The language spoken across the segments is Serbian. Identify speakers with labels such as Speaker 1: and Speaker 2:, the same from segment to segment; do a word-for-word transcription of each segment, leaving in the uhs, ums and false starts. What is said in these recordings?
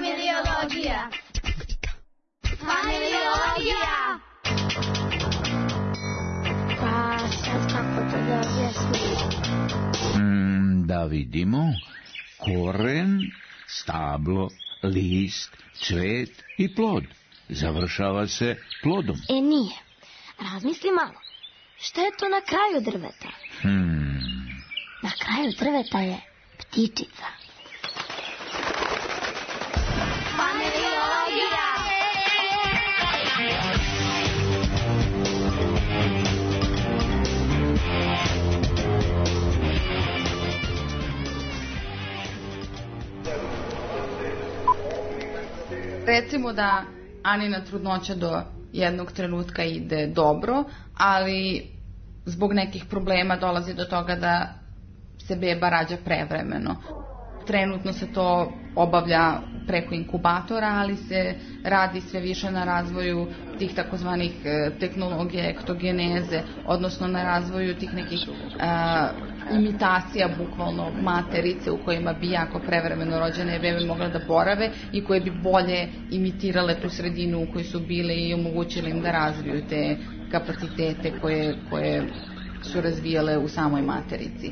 Speaker 1: Familiologija. Familiologija.
Speaker 2: Pa sad kako to da objasnim?
Speaker 3: Mm, da vidimo. Koren, stablo, list, cvet i plod. Završava se plodom.
Speaker 2: E nije. Razmisli malo. Šta je to na kraju drveta?
Speaker 3: Hmm.
Speaker 2: Na kraju drveta je ptičica.
Speaker 1: Familiologija.
Speaker 4: Recimo da Anina trudnoća do jednog trenutka ide dobro, ali zbog nekih problema dolazi do toga da se beba rađa prevremeno. Trenutno se to obavlja preko inkubatora, ali se radi sve više na razvoju tih takozvanih tehnologija ektogeneze, odnosno na razvoju tih nekih a, imitacija bukvalno materice u kojima bi jako prevremeno rođene bebe mogle da borave i koje bi bolje imitirale tu sredinu u kojoj su bile i omogućile im da razviju te kapacitete koje, koje su razvijale u samoj materici.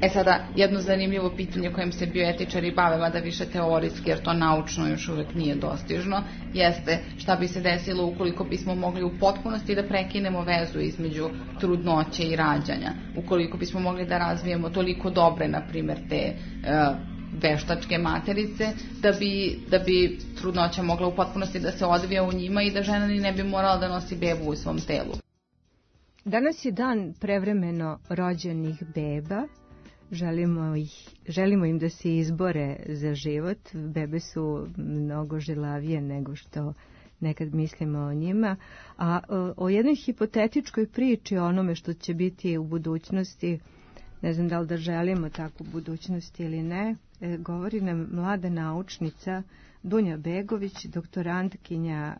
Speaker 4: E sada, jedno zanimljivo pitanje kojem se bioetičari bave, mada više teorijski, jer to naučno još uvek nije dostižno, jeste šta bi se desilo ukoliko bismo mogli u potpunosti da prekinemo vezu između trudnoće i rađanja. Ukoliko bismo mogli da razvijemo toliko dobre, na primjer, te uh, veštačke materice, da bi, da bi trudnoća mogla u potpunosti da se odvija u njima i da žena ni ne bi morala da nosi bebu u svom telu.
Speaker 5: Danas je dan prevremeno rođenih beba. Želimo, ih, želimo im da se izbore za život. Bebe su mnogo žilavije nego što nekad mislimo o njima. A o jednoj hipotetičkoj priči, o onome što će biti u budućnosti, ne znam da li da želimo takvu budućnost ili ne, govori nam mlada naučnica Dunja Begović, doktorantkinja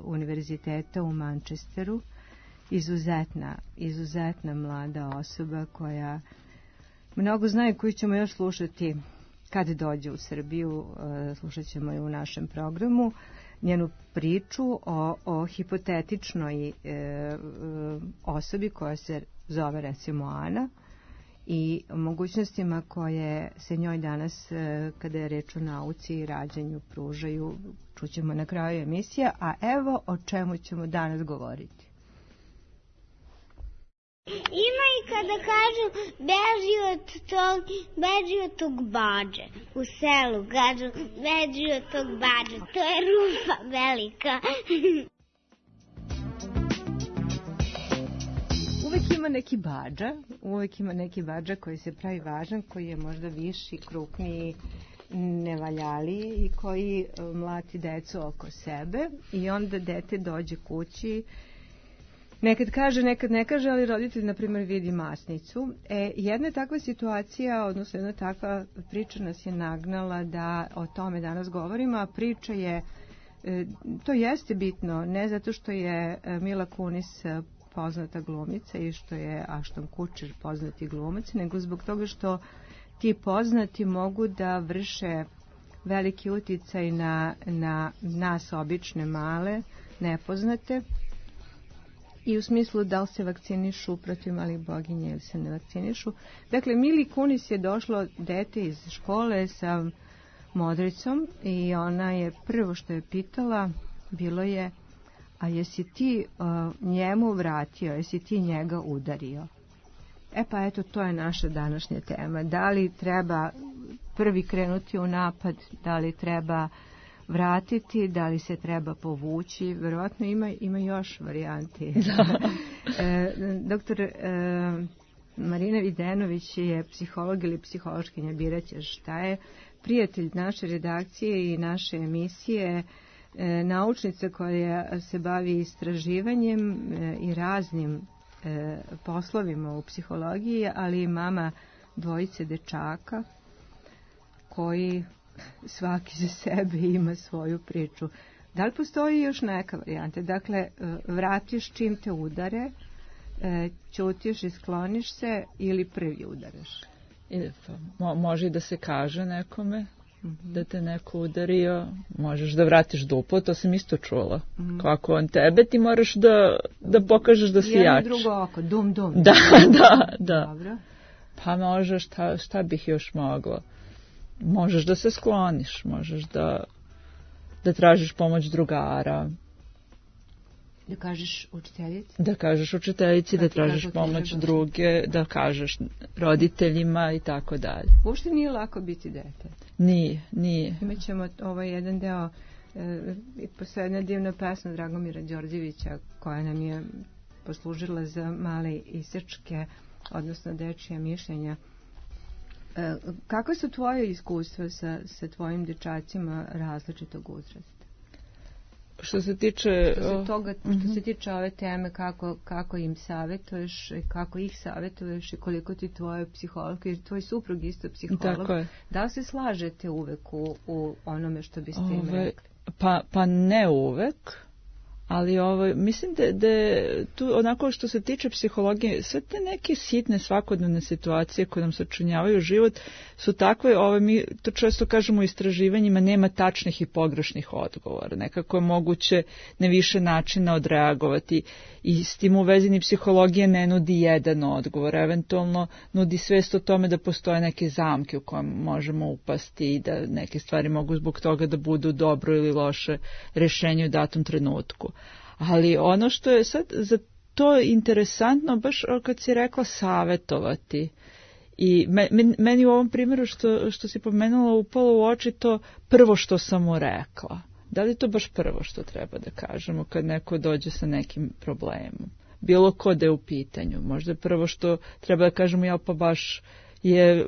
Speaker 5: Univerziteta u Manchesteru. Izuzetna, izuzetna mlada osoba koja mnogo znaju, koju ćemo još slušati kad dođe u Srbiju, slušat ćemo je u našem programu, njenu priču o, o hipotetičnoj e, osobi koja se zove recimo Ana i mogućnostima koje se njoj danas, e, kada je reč o nauci i rađanju, pružaju, čućemo na kraju emisije, a evo o čemu ćemo danas govoriti.
Speaker 6: Ima i kada kažu beži od tog, beži od tog bađe. U selu kažu beži od tog bađe. To je rupa velika.
Speaker 5: Uvek ima neki bađa, uvek ima neki bađa koji se pravi važan, koji je možda viši, krupniji, nevaljaliji i koji mlati decu oko sebe i onda dete dođe kući. Nekad kaže, nekad ne kaže, ali roditelj, na primjer, vidi masnicu. E, jedna takva situacija, odnosno jedna takva priča nas je nagnala da o tome danas govorimo, a priča je, e, to jeste bitno, ne zato što je Mila Kunis poznata glumica i što je Ashton Kutcher poznati glumac, nego zbog toga što ti poznati mogu da vrše veliki uticaj na, na nas obične male, nepoznate, i u smislu da li se vakcinišu protiv malih boginja ili se ne vakcinišu. Dakle, Mili Kunis je došlo dete iz škole sa modricom i ona je prvo što je pitala bilo je, a jesi ti uh, njemu vratio, jesi ti njega udario? E pa eto, to je naša današnja tema. Da li treba prvi krenuti u napad, da li treba vratiti, da li se treba povući, verovatno ima, ima još varijanti. e, doktor e, Marina Videnović je psiholog ili psihološkinja, biraće šta je, prijatelj naše redakcije i naše emisije, e, naučnica koja se bavi istraživanjem e, i raznim e, poslovima u psihologiji, ali i mama dvojice dečaka koji svaki za sebe ima svoju priču. Da li postoji još neka varijanta? Dakle, vratiš čim te udare, ćutiš i skloniš se ili prvi udaraš?
Speaker 7: Mo, može i da se kaže nekome.
Speaker 1: mm-hmm. da te neko udario, možeš da vratiš duplo, to sam isto čula. Mm-hmm. Kako on tebe, ti moraš da, da pokažeš da si jač.
Speaker 5: Jedno drugo oko, dum dum.
Speaker 1: Da, da, da.
Speaker 5: Dobro.
Speaker 1: Pa možeš, šta, šta bih još mogla? Možeš da se skloniš, možeš da, da tražiš pomoć drugara.
Speaker 5: Da kažeš učiteljici?
Speaker 1: Da kažeš učiteljici, da tražiš pomoć druge, da kažeš roditeljima i tako dalje.
Speaker 5: Uopšte nije lako biti dete.
Speaker 1: Nije, nije.
Speaker 5: Imaćemo ovaj jedan deo, e, posle jedna divna pesma Dragomira Đorđevića, koja nam je poslužila za male isečke, odnosno dečija mišljenja. E, kako su tvoje iskustva sa, sa tvojim dečacima različitog uzrasta?
Speaker 1: Što se tiče
Speaker 5: što se toga, što uh-huh. se tiče ove teme, kako, kako im savjetuješ, kako ih savjetuješ i koliko ti tvoj psiholog, jer tvoj suprug isto psiholog, da li se slažete uvek u, u onome što biste im rekli?
Speaker 1: Pa, pa ne uvek, ali ovo, mislim da, da tu onako što se tiče psihologije, sve te neke sitne svakodnevne situacije koje nam sačinjavaju život su takve, ovo, mi to često kažemo u istraživanjima, nema tačnih i pogrešnih odgovora. Nekako je moguće na više načina odreagovati i s tim u vezi ni psihologija ne nudi jedan odgovor, eventualno nudi svest o tome da postoje neke zamke u kojem možemo upasti i da neke stvari mogu zbog toga da budu dobro ili loše rješenje u datom trenutku. Ali ono što je sad za to interesantno, baš kad si rekla savjetovati, i meni u ovom primjeru što, što si pomenula upalo u oči to prvo što sam mu rekla. Da li to baš prvo što treba da kažemo kad neko dođe sa nekim problemom? Bilo ko da je u pitanju. Možda prvo što treba da kažemo, ja pa baš je,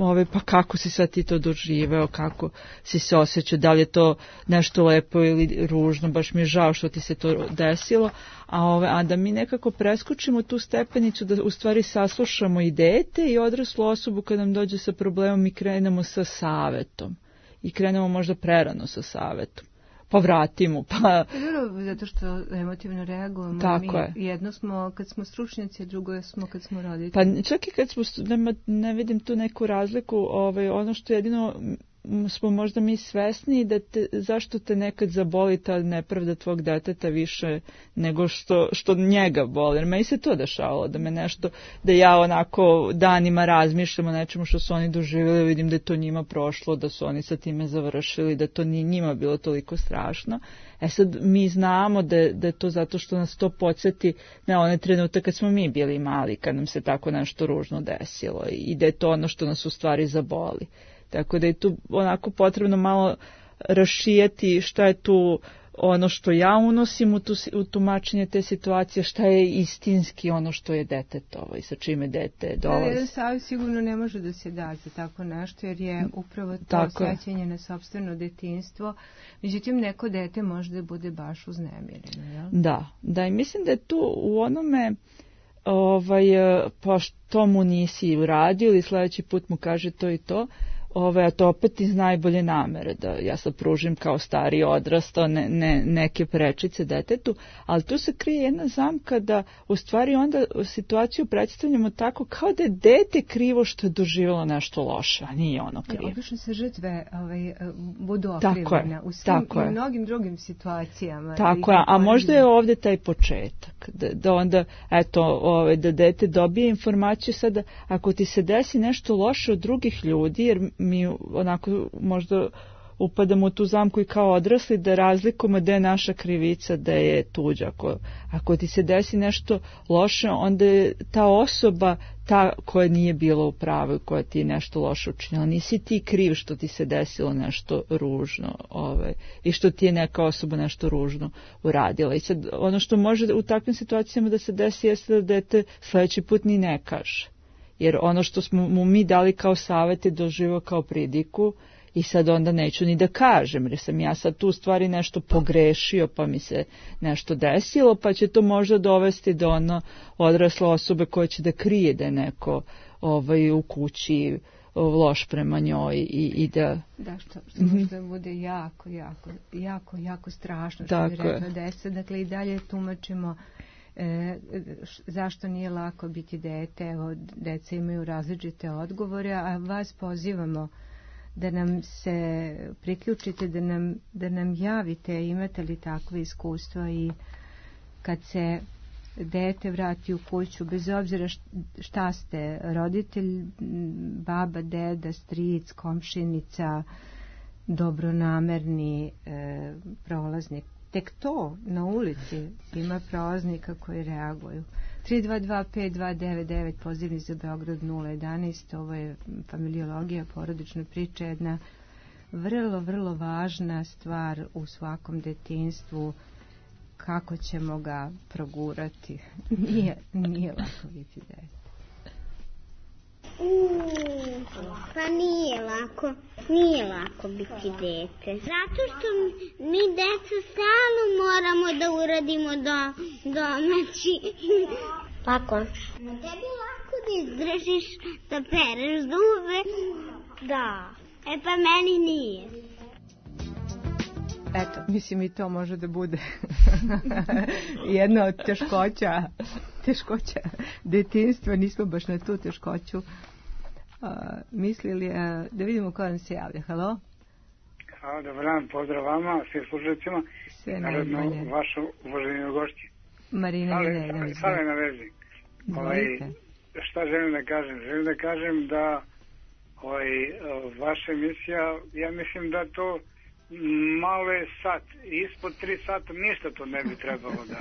Speaker 1: ove, pa kako si sad ti to doživeo, kako si se osjećao, da li je to nešto lepo ili ružno, baš mi je žao što ti se to desilo, a, ove, a da mi nekako preskočimo tu stepenicu, da u stvari saslušamo i dete i odraslu osobu kad nam dođe sa problemom i krenemo sa savetom. I krenemo možda prerano sa savetom. Pa vratimo, pa...
Speaker 5: Dobro, zato što emotivno reagujemo.
Speaker 1: Tako
Speaker 5: mi
Speaker 1: je.
Speaker 5: Jedno smo kad smo stručnjaci, a drugo smo kad smo roditelji.
Speaker 1: Pa čak i kad smo, nema, ne vidim tu neku razliku, ovaj, ono što jedino smo možda mi svesni da te, zašto te nekad zaboli ta nepravda tvog deteta više nego što, što njega boli. Jer meni se to dešavalo, da me nešto, da ja onako danima razmišljam o nečemu što su oni doživjeli, vidim da je to njima prošlo, da su oni sa time završili, da to nije njima bilo toliko strašno. E sad mi znamo da, da je to zato što nas to podsjeti na one trenutak kad smo mi bili mali, kad nam se tako nešto ružno desilo i da je to ono što nas u stvari zaboli. Tako da je tu onako potrebno malo rašijeti šta je tu ono što ja unosim u, tu, u tumačenje te situacije, šta je istinski ono što je detetovo i sa čime dete dolazi.
Speaker 5: Jedan savjet sigurno ne može da se da za tako nešto, jer je upravo to
Speaker 1: tako
Speaker 5: osjećanje na sopstveno detinjstvo. Međutim, neko dete može da bude baš uznemireno. Jel?
Speaker 1: Da, da, i mislim da je tu u onome... Ovaj, pa što mu nisi uradio ili sljedeći put mu kaže to i to, ovaj, a to opet iz najbolje namere, da ja sad pružim kao stari odrastao ne, ne, neke prečice detetu, ali tu se krije jedna zamka da u stvari onda situaciju predstavljamo tako kao da je dete krivo što je doživjelo nešto loše, a nije ono krivo.
Speaker 5: Obično se žrtve ovaj, budu okrivljene u svim i mnogim drugim situacijama.
Speaker 1: Tako je, a možda je ovdje taj početak, da, da onda, eto, ovaj, da dete dobije informaciju sada, ako ti se desi nešto loše od drugih ljudi, jer mi onako možda upadamo u tu zamku i kao odrasli da razlikujemo da je naša krivica, da je tuđa. Ako, ako ti se desi nešto loše, onda je ta osoba ta koja nije bila u pravu, koja ti je nešto loše učinila. Nisi ti kriv što ti se desilo nešto ružno ovaj, i što ti je neka osoba nešto ružno uradila. I sad ono što može u takvim situacijama da se desi jeste da dete sljedeći put ni ne kaže. Jer ono što smo mu mi dali kao savjet je doživio kao pridiku i sad onda neću ni da kažem, jer sam ja sad tu u stvari nešto pogrešio pa mi se nešto desilo, pa će to možda dovesti do ono odrasle osobe koja će da krije da je neko ovaj, u kući loš prema njoj i, i da...
Speaker 5: Da, što, što mm-hmm. možda bude jako, jako, jako, jako strašno što bi rekla deca. Dakle, i dalje tumačimo E, zašto nije lako biti dete. Evo, deca imaju različite odgovore, a vas pozivamo da nam se priključite, da nam, da nam javite imate li takve iskustva i kad se dete vrati u kuću, bez obzira šta ste, roditelj, baba, deda, stric, komšinica, dobronamerni e, prolaznik. Tek to na ulici ima prolaznika koji reaguju. tri dva dva pet dva devet devet, pozivni za Beograd nula jedanaest, ovo je familiologija, porodična priča, jedna vrlo, vrlo važna stvar u svakom detinjstvu, kako ćemo ga progurati. Nije, nije lako biti dete.
Speaker 6: Mm, pa nije lako, nije lako biti dete. Zato što mi deca stalno moramo da uradimo do, domaći.
Speaker 2: Lako.
Speaker 6: Na tebi lako da izdržiš, da pereš zube. Da, e pa meni nije.
Speaker 5: Eto, mislim i to može da bude jedna od teškoća, teškoća detinjstva, nismo baš na tu teškoću uh, mislili. Uh, da vidimo ko nam se javlja. Halo?
Speaker 7: Halo, dobar dan, pozdrav vama, svim slušalicima.
Speaker 5: Sve
Speaker 7: naravno
Speaker 5: najbolje.
Speaker 7: Vašu uvaženju gošći.
Speaker 5: Marina Milenović.
Speaker 7: Sale na vezi. Ovaj, šta želim da kažem? Želim da kažem da ovaj, vaša emisija, ja mislim da to malo je sat, ispod tri sata ništa to ne bi trebalo da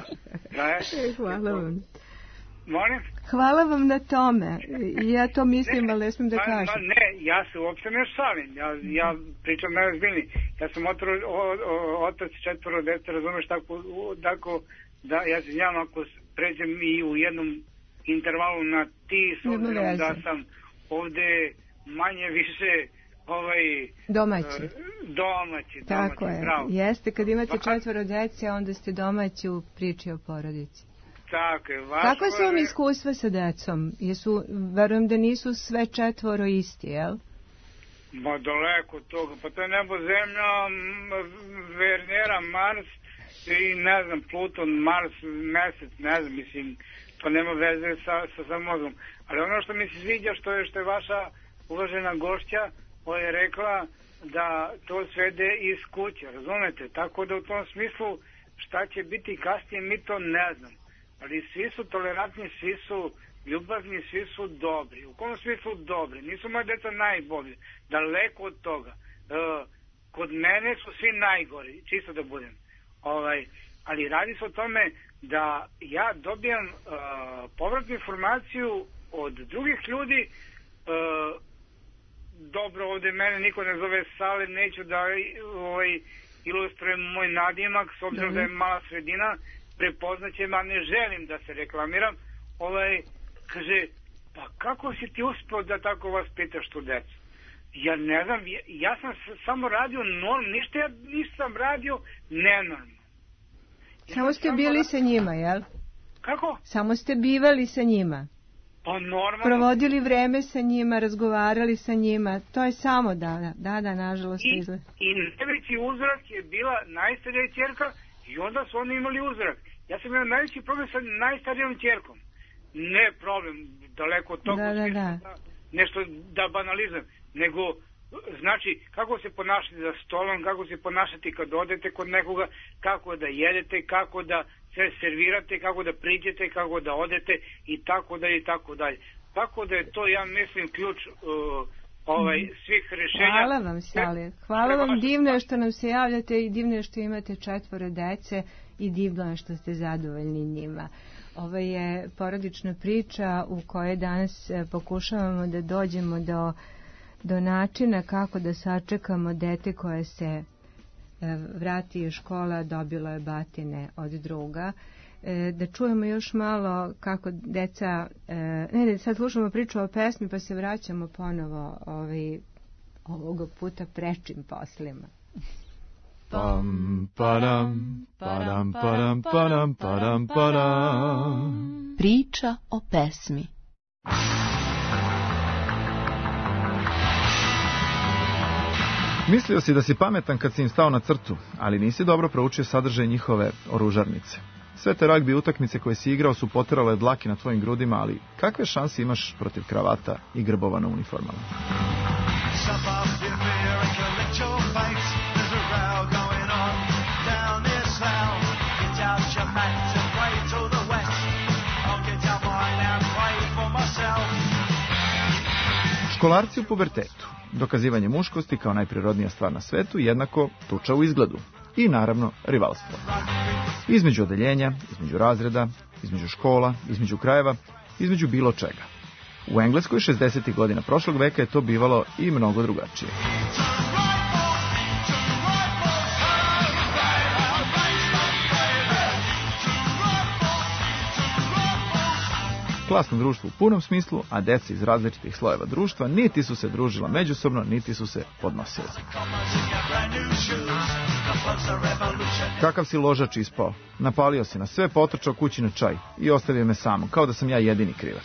Speaker 7: traje.
Speaker 5: Hvala vam.
Speaker 7: Molim?
Speaker 5: Hvala vam na tome. Ja to mislim, ne, ali ne smijem da kažem.
Speaker 7: Ma, ne, ja se uopšte ne šalim. Ja, ja pričam najozbiljniji. Ja sam otro, o, o, otac četvoro dece, razumeš, tako, tako da ja se znam ako pređem i u jednom intervalu na ti, s obzirom da sam ovde manje više ovaj,
Speaker 5: domaći.
Speaker 7: Domaći,
Speaker 5: tako
Speaker 7: domaći,
Speaker 5: je.
Speaker 7: Bravo.
Speaker 5: Jeste, kad imate četvoro dece, onda ste domaći u priči o porodici.
Speaker 7: Tako je.
Speaker 5: Kako su vam iskustva sa decom? Jesu, verujem da nisu sve četvoro isti, jel?
Speaker 7: Ma daleko od toga. Pa to je nebo, zemlja, Venera, Mars i ne znam, Pluton, Mars, mesec, ne znam, mislim, to nema veze sa, sa, sa mozgom. Ali ono što mi se sviđa, što je, što je vaša uvažena gošća, koja je rekla da to svede iz kuće, razumete? Tako da u tom smislu šta će biti kasnije, mi to ne znam. Ali svi su tolerantni, svi su ljubazni, svi su dobri. U kom smislu dobri? Nisu moje deca najbolji. Daleko od toga. E, kod mene su svi najgori, čisto da budem. Ovaj, ali radi se o tome da ja dobijam e, povratnu informaciju od drugih ljudi. E, dobro, ovde mene niko ne zove Sale, neću da ovaj, ilustrujem moj nadimak, s obzirom da je mala sredina, prepoznaće, a ne želim da se reklamiram. Ovaj, kaže, pa kako si ti uspio da tako vas pitaš tu decu? Ja ne znam, ja, ja sam samo radio norm, ništa ja nisam radio nenormalno. Ja
Speaker 5: samo ste bili ra... sa njima, jel?
Speaker 7: Kako?
Speaker 5: Samo ste bivali sa njima.
Speaker 7: Pa normalno.
Speaker 5: Provodili vreme sa njima, razgovarali sa njima, to je samo da, da, da, nažalost.
Speaker 7: I, i najveći uzrak je bila najstarija ćerka i onda su oni imali uzrak. Ja sam imao najveći problem sa najstarijom ćerkom. Ne problem, daleko od toga,
Speaker 5: da, da, da.
Speaker 7: da, nešto da banalizujem, nego znači kako se ponašati za stolom, kako se ponašati kad odete kod nekoga, kako da jedete, kako da se servirate, kako da priđete, kako da odete i tako dalje i tako dalje. Tako da je to, ja mislim, ključ uh, ovaj, svih rešenja.
Speaker 5: Hvala vam, Sale. Hvala vam, divno je što nam se javljate i divno je što imate četvoro dece i divno je što ste zadovoljni njima. Ovo je porodična priča u kojoj danas pokušavamo da dođemo do, do načina kako da sačekamo dete koje se vrati iz škola, dobilo je batine od druga. Da čujemo još malo kako deca... Ne, ne, sad slušamo priču o pesmi pa se vraćamo ponovo ovaj, ovoga puta prečim poslima.
Speaker 8: Pam, padam, padam, padam, padam, padam, padam.
Speaker 9: Priča o pesmi.
Speaker 8: Mislio si da si pametan kad si im stao na crtu, ali nisi dobro proučio sadržaj njihove oružarnice. Sve te ragbi utakmice koje si igrao su poterale dlake na tvojim grudima, ali kakve šanse imaš protiv kravata i grbova na uniformama? Školarci u pubertetu, dokazivanje muškosti kao najprirodnija stvar na svetu, jednako tuča u izgledu i naravno rivalstvo. Između odeljenja, između razreda, između škola, između krajeva, između bilo čega. U Engleskoj šezdesetih godina prošlog veka je to bivalo i mnogo drugačije. Klasno društvo u punom smislu, a deca iz različitih slojeva društva niti su se družila međusobno, niti su se podnosila. Kakav si ložač ispao? Napalio se na sve, potrčao kući na čaj i ostavio me samo, kao da sam ja jedini krivac.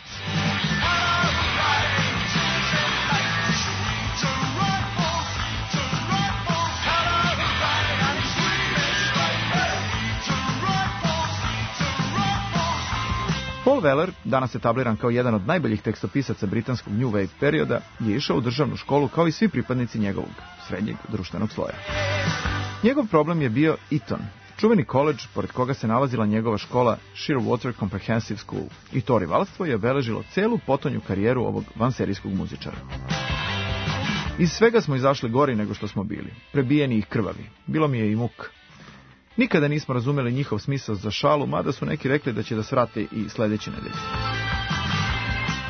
Speaker 8: Paul Weller, danas etabliran kao jedan od najboljih tekstopisaca britanskog New Wave perioda, je išao u državnu školu kao i svi pripadnici njegovog srednjeg društvenog sloja. Njegov problem je bio Eton, čuveni koledž pored koga se nalazila njegova škola Sheerwater Comprehensive School, i to rivalstvo je obeležilo celu potonju karijeru ovog vanserijskog muzičara. Iz svega smo izašli gori nego što smo bili, prebijeni i krvavi, bilo mi je i muk. Nikada nismo razumeli njihov smisao za šalu, mada su neki rekli da će da svrate i sledeće nedelje.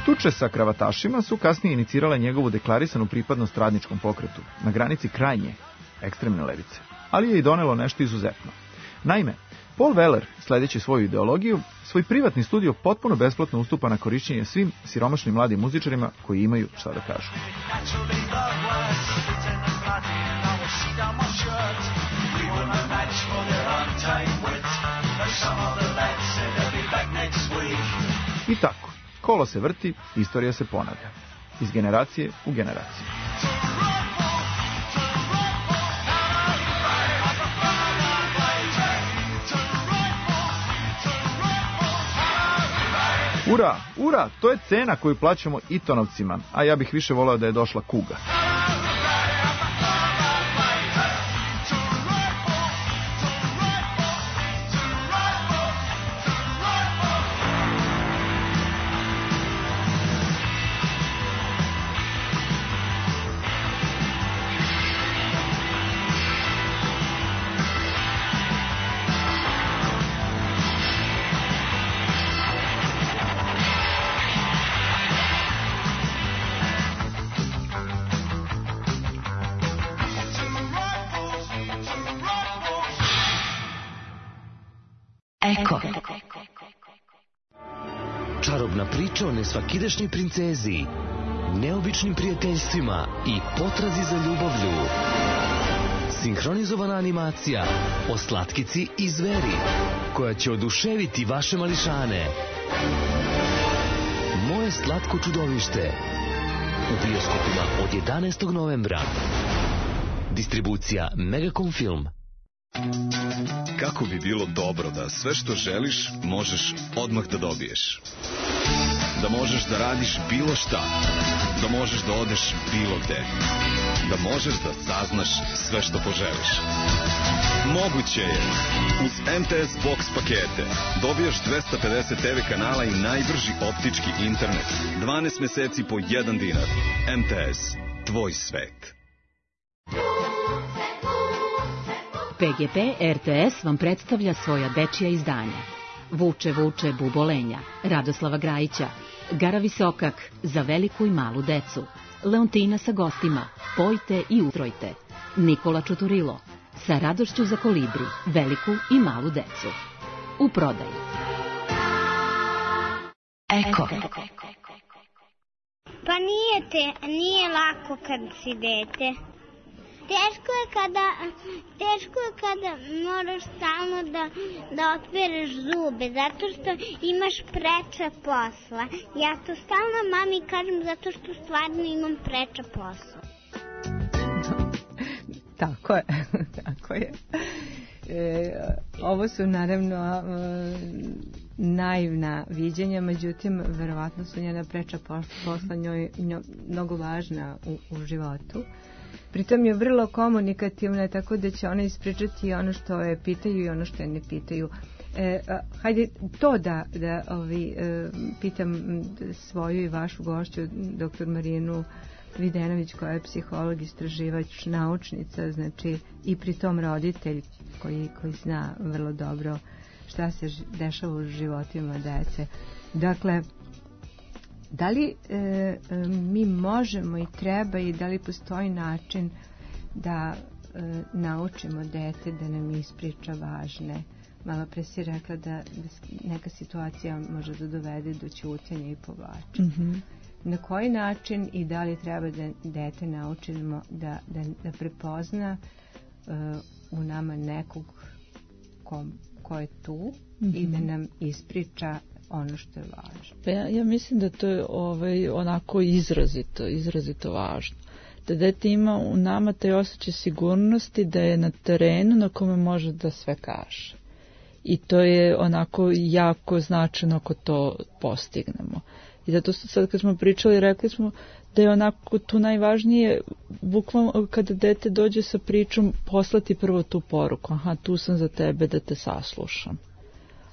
Speaker 8: Tuče sa kravatašima su kasnije inicirale njegovu deklarisanu pripadnost radničkom pokretu, na granici krajnje, ekstremne levice, ali je i donelo nešto izuzetno. Naime, Paul Weller, sledeći svoju ideologiju, svoj privatni studio potpuno besplatno ustupa na korišćenje svim siromašnim mladim muzičarima koji imaju šta da kažu. I tako, kolo se vrti, istorija se ponavlja, iz generacije u generaciju. Ura, ura, to je cena koju plaćamo Etonovcima, a ja bih više voleo da je došla kuga.
Speaker 10: Eko. Čarobna priča o nesvakidašnjoj princezi, neobičnim prijateljstvima i potrazi za ljubavlju. Sinhronizovana animacija o slatkici i zveri, koja će oduševiti vaše mališane. Moje slatko čudovište. U bioskopima od jedanaestog novembra. Distribucija Megacom Film.
Speaker 11: Kako bi bilo dobro da sve što želiš možeš odmah da dobiješ. Da možeš da radiš bilo šta. Da možeš da odeš bilo gde. Da možeš da saznaš sve što poželiš. Moguće je. Uz M T S Box pakete dobijaš dvesta pedeset te ve kanala i najbrži optički internet. dvanaest meseci po jedan dinar. M T S. Tvoj svet.
Speaker 12: P G P R T S vam predstavlja svoja dečija izdanja. Vuče, vuče, bubolenja, Radoslava Grajića, Gara Visokak, za veliku i malu decu, Leontina sa gostima, Pojte i utrojte, Nikola Čuturilo, sa radošću za kolibri, veliku i malu decu. U prodaji.
Speaker 10: Eko.
Speaker 6: Pa nije te, nije lako kad si dete. Teško je kada, teško je kada moraš stalno da, da otpereš zube, zato što imaš preče posla. Ja to stalno mami kažem zato što stvarno imam preče posla.
Speaker 5: Tako je, tako je. E, ovo su naravno naivna viđenja, međutim, verovatno su njena preča posla njoj, njoj mnogo važna u, u životu. Pritom je vrlo komunikativna, tako da će ona ispričati ono što je pitaju i ono što je ne pitaju. E, a, hajde to da, da ovi, e, pitam svoju i vašu gošću, doktor Marinu Videnović, koja je psiholog, istraživač, naučnica, znači i pritom roditelj koji, koji zna vrlo dobro šta se dešava u životima dece. Dakle, da li e, e, mi možemo i treba i da li postoji način da e, naučimo dete da nam ispriča važne? Malo pre si rekla da, da neka situacija može da dovede do ćutanja i povlačenja.
Speaker 1: Mm-hmm.
Speaker 5: Na koji način i da li treba da dete naučimo da, da, da prepozna uh, u nama nekog ko, ko je tu mm-hmm. i da nam ispriča ono što je važno?
Speaker 1: Pa ja, ja mislim da to je ovaj, onako izrazito, izrazito važno. Da dete ima u nama taj osjećaj sigurnosti da je na terenu na kome može da sve kaže. I to je onako jako značajno ako to postignemo. I zato sad kad smo pričali, rekli smo da je onako tu najvažnije, bukvalno kada dete dođe sa pričom, poslati prvo tu poruku. Aha, tu sam za tebe da te saslušam.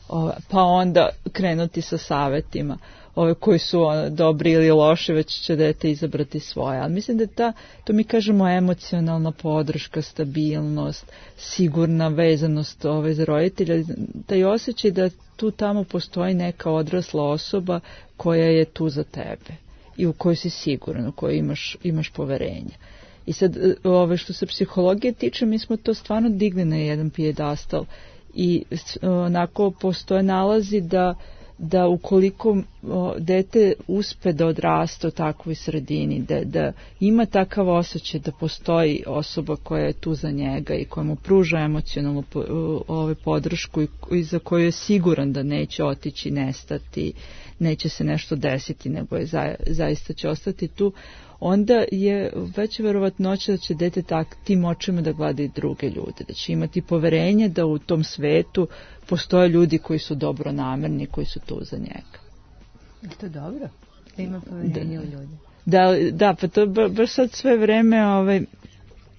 Speaker 1: Ove, pa onda krenuti sa savetima. Ove koji su ono, dobri ili loši, već će dete izabrati svoje. Ali mislim da ta, to mi kažemo emocionalna podrška, stabilnost, sigurna vezanost ove za roditelja, taj osjećaj da tu tamo postoji neka odrasla osoba koja je tu za tebe i u kojoj si siguran, u kojoj imaš, imaš poverenje. I sad, ove, što se psihologije tiče, mi smo to stvarno digli na jedan pijedastal i onako postoje nalazi da da ukoliko o, dete uspe da odraste u takvoj sredini, da, da ima takav osjećaj da postoji osoba koja je tu za njega i koja mu pruža emocionalnu ove, podršku i, i za koju je siguran da neće otići, nestati, neće se nešto desiti, nego je za, zaista će ostati tu, onda je veća verovatnoća da će dete tak, tim očima da gleda i druge ljude, da će imati poverenje da u tom svetu postoje ljudi koji su dobro namerni, koji su tu za njega.
Speaker 5: Je to dobro? Da ima poverenje u ljudi?
Speaker 1: Da, da, pa to ba, baš sad sve vreme ovaj,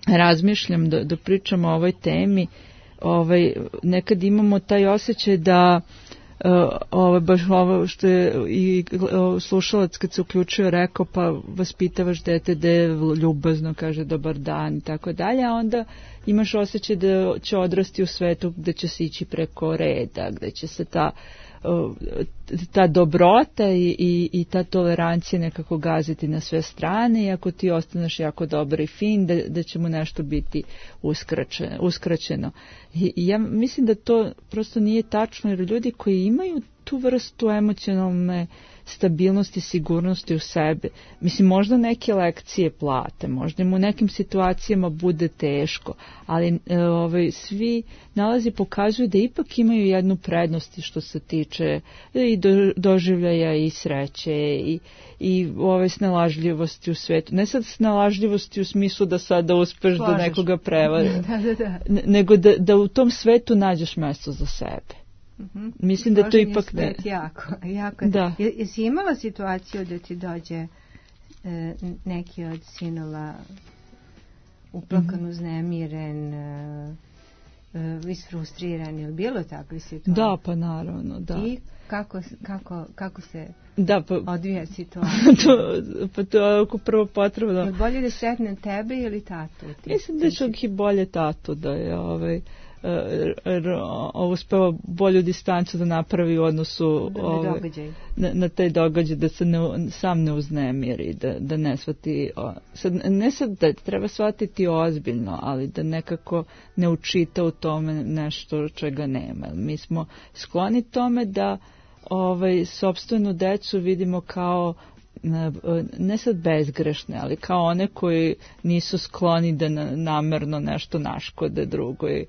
Speaker 1: razmišljam da, da pričamo o ovoj temi. Ovaj, nekad imamo taj osjećaj da Uh, ovo, baš ovo što je i uh, slušalac kad se uključio rekao, pa vaspitavaš dete da je ljubazno, kaže dobar dan i tako dalje, a onda imaš osjećaj da će odrasti u svetu gde će se ići preko reda, gde će se ta, uh, ta dobrota i, i, i ta tolerancija nekako gaziti na sve strane i ako ti ostaneš jako dobar i fin, da, da će mu nešto biti uskraćeno. uskraćeno. I, I ja mislim da to prosto nije tačno, jer ljudi koji imaju tu vrstu emocionalne stabilnosti, sigurnosti u sebe, mislim, možda neke lekcije plate, možda im u nekim situacijama bude teško, ali e, ovaj, svi nalazi pokazuju da ipak imaju jednu prednost što se tiče i do, doživljaja i sreće i, i ove snalažljivosti u svetu. Ne sad snalažljivosti u smislu da sada uspeš Slažeš. da nekoga prevari,
Speaker 5: da, da, da.
Speaker 1: nego da, da u tom svetu nađeš mesto za sebe.
Speaker 5: Mm-hmm.
Speaker 1: Mislim da to ipak
Speaker 5: ne. Jako, jako.
Speaker 1: Da.
Speaker 5: Jesi imala situaciju da ti dođe e, neki od sinova uplakan, mm-hmm. uznemiren, e, e, isfrustriran, ili bilo takve situacije?
Speaker 1: Da, pa naravno, da.
Speaker 5: I kako, kako, kako se
Speaker 1: da, pa, odvija
Speaker 5: situacija?
Speaker 1: to, pa to je ako prvo potrebno.
Speaker 5: Je bolje da sretne tebe ili tatu?
Speaker 1: Mislim da je čak i bolje tatu da je ovaj uspeo bolju distancu da napravi u odnosu
Speaker 5: na,
Speaker 1: ove, na, na taj događaj, da se ne, sam ne uznemiri, da, da ne shvati, sad, ne sad da treba shvatiti ozbiljno, ali da nekako ne učita u tome nešto čega nema. Mi smo skloni tome da ovaj, sopstvenu decu vidimo kao ne sad bezgrešne, ali kao one koji nisu skloni da namerno nešto naškode drugoj,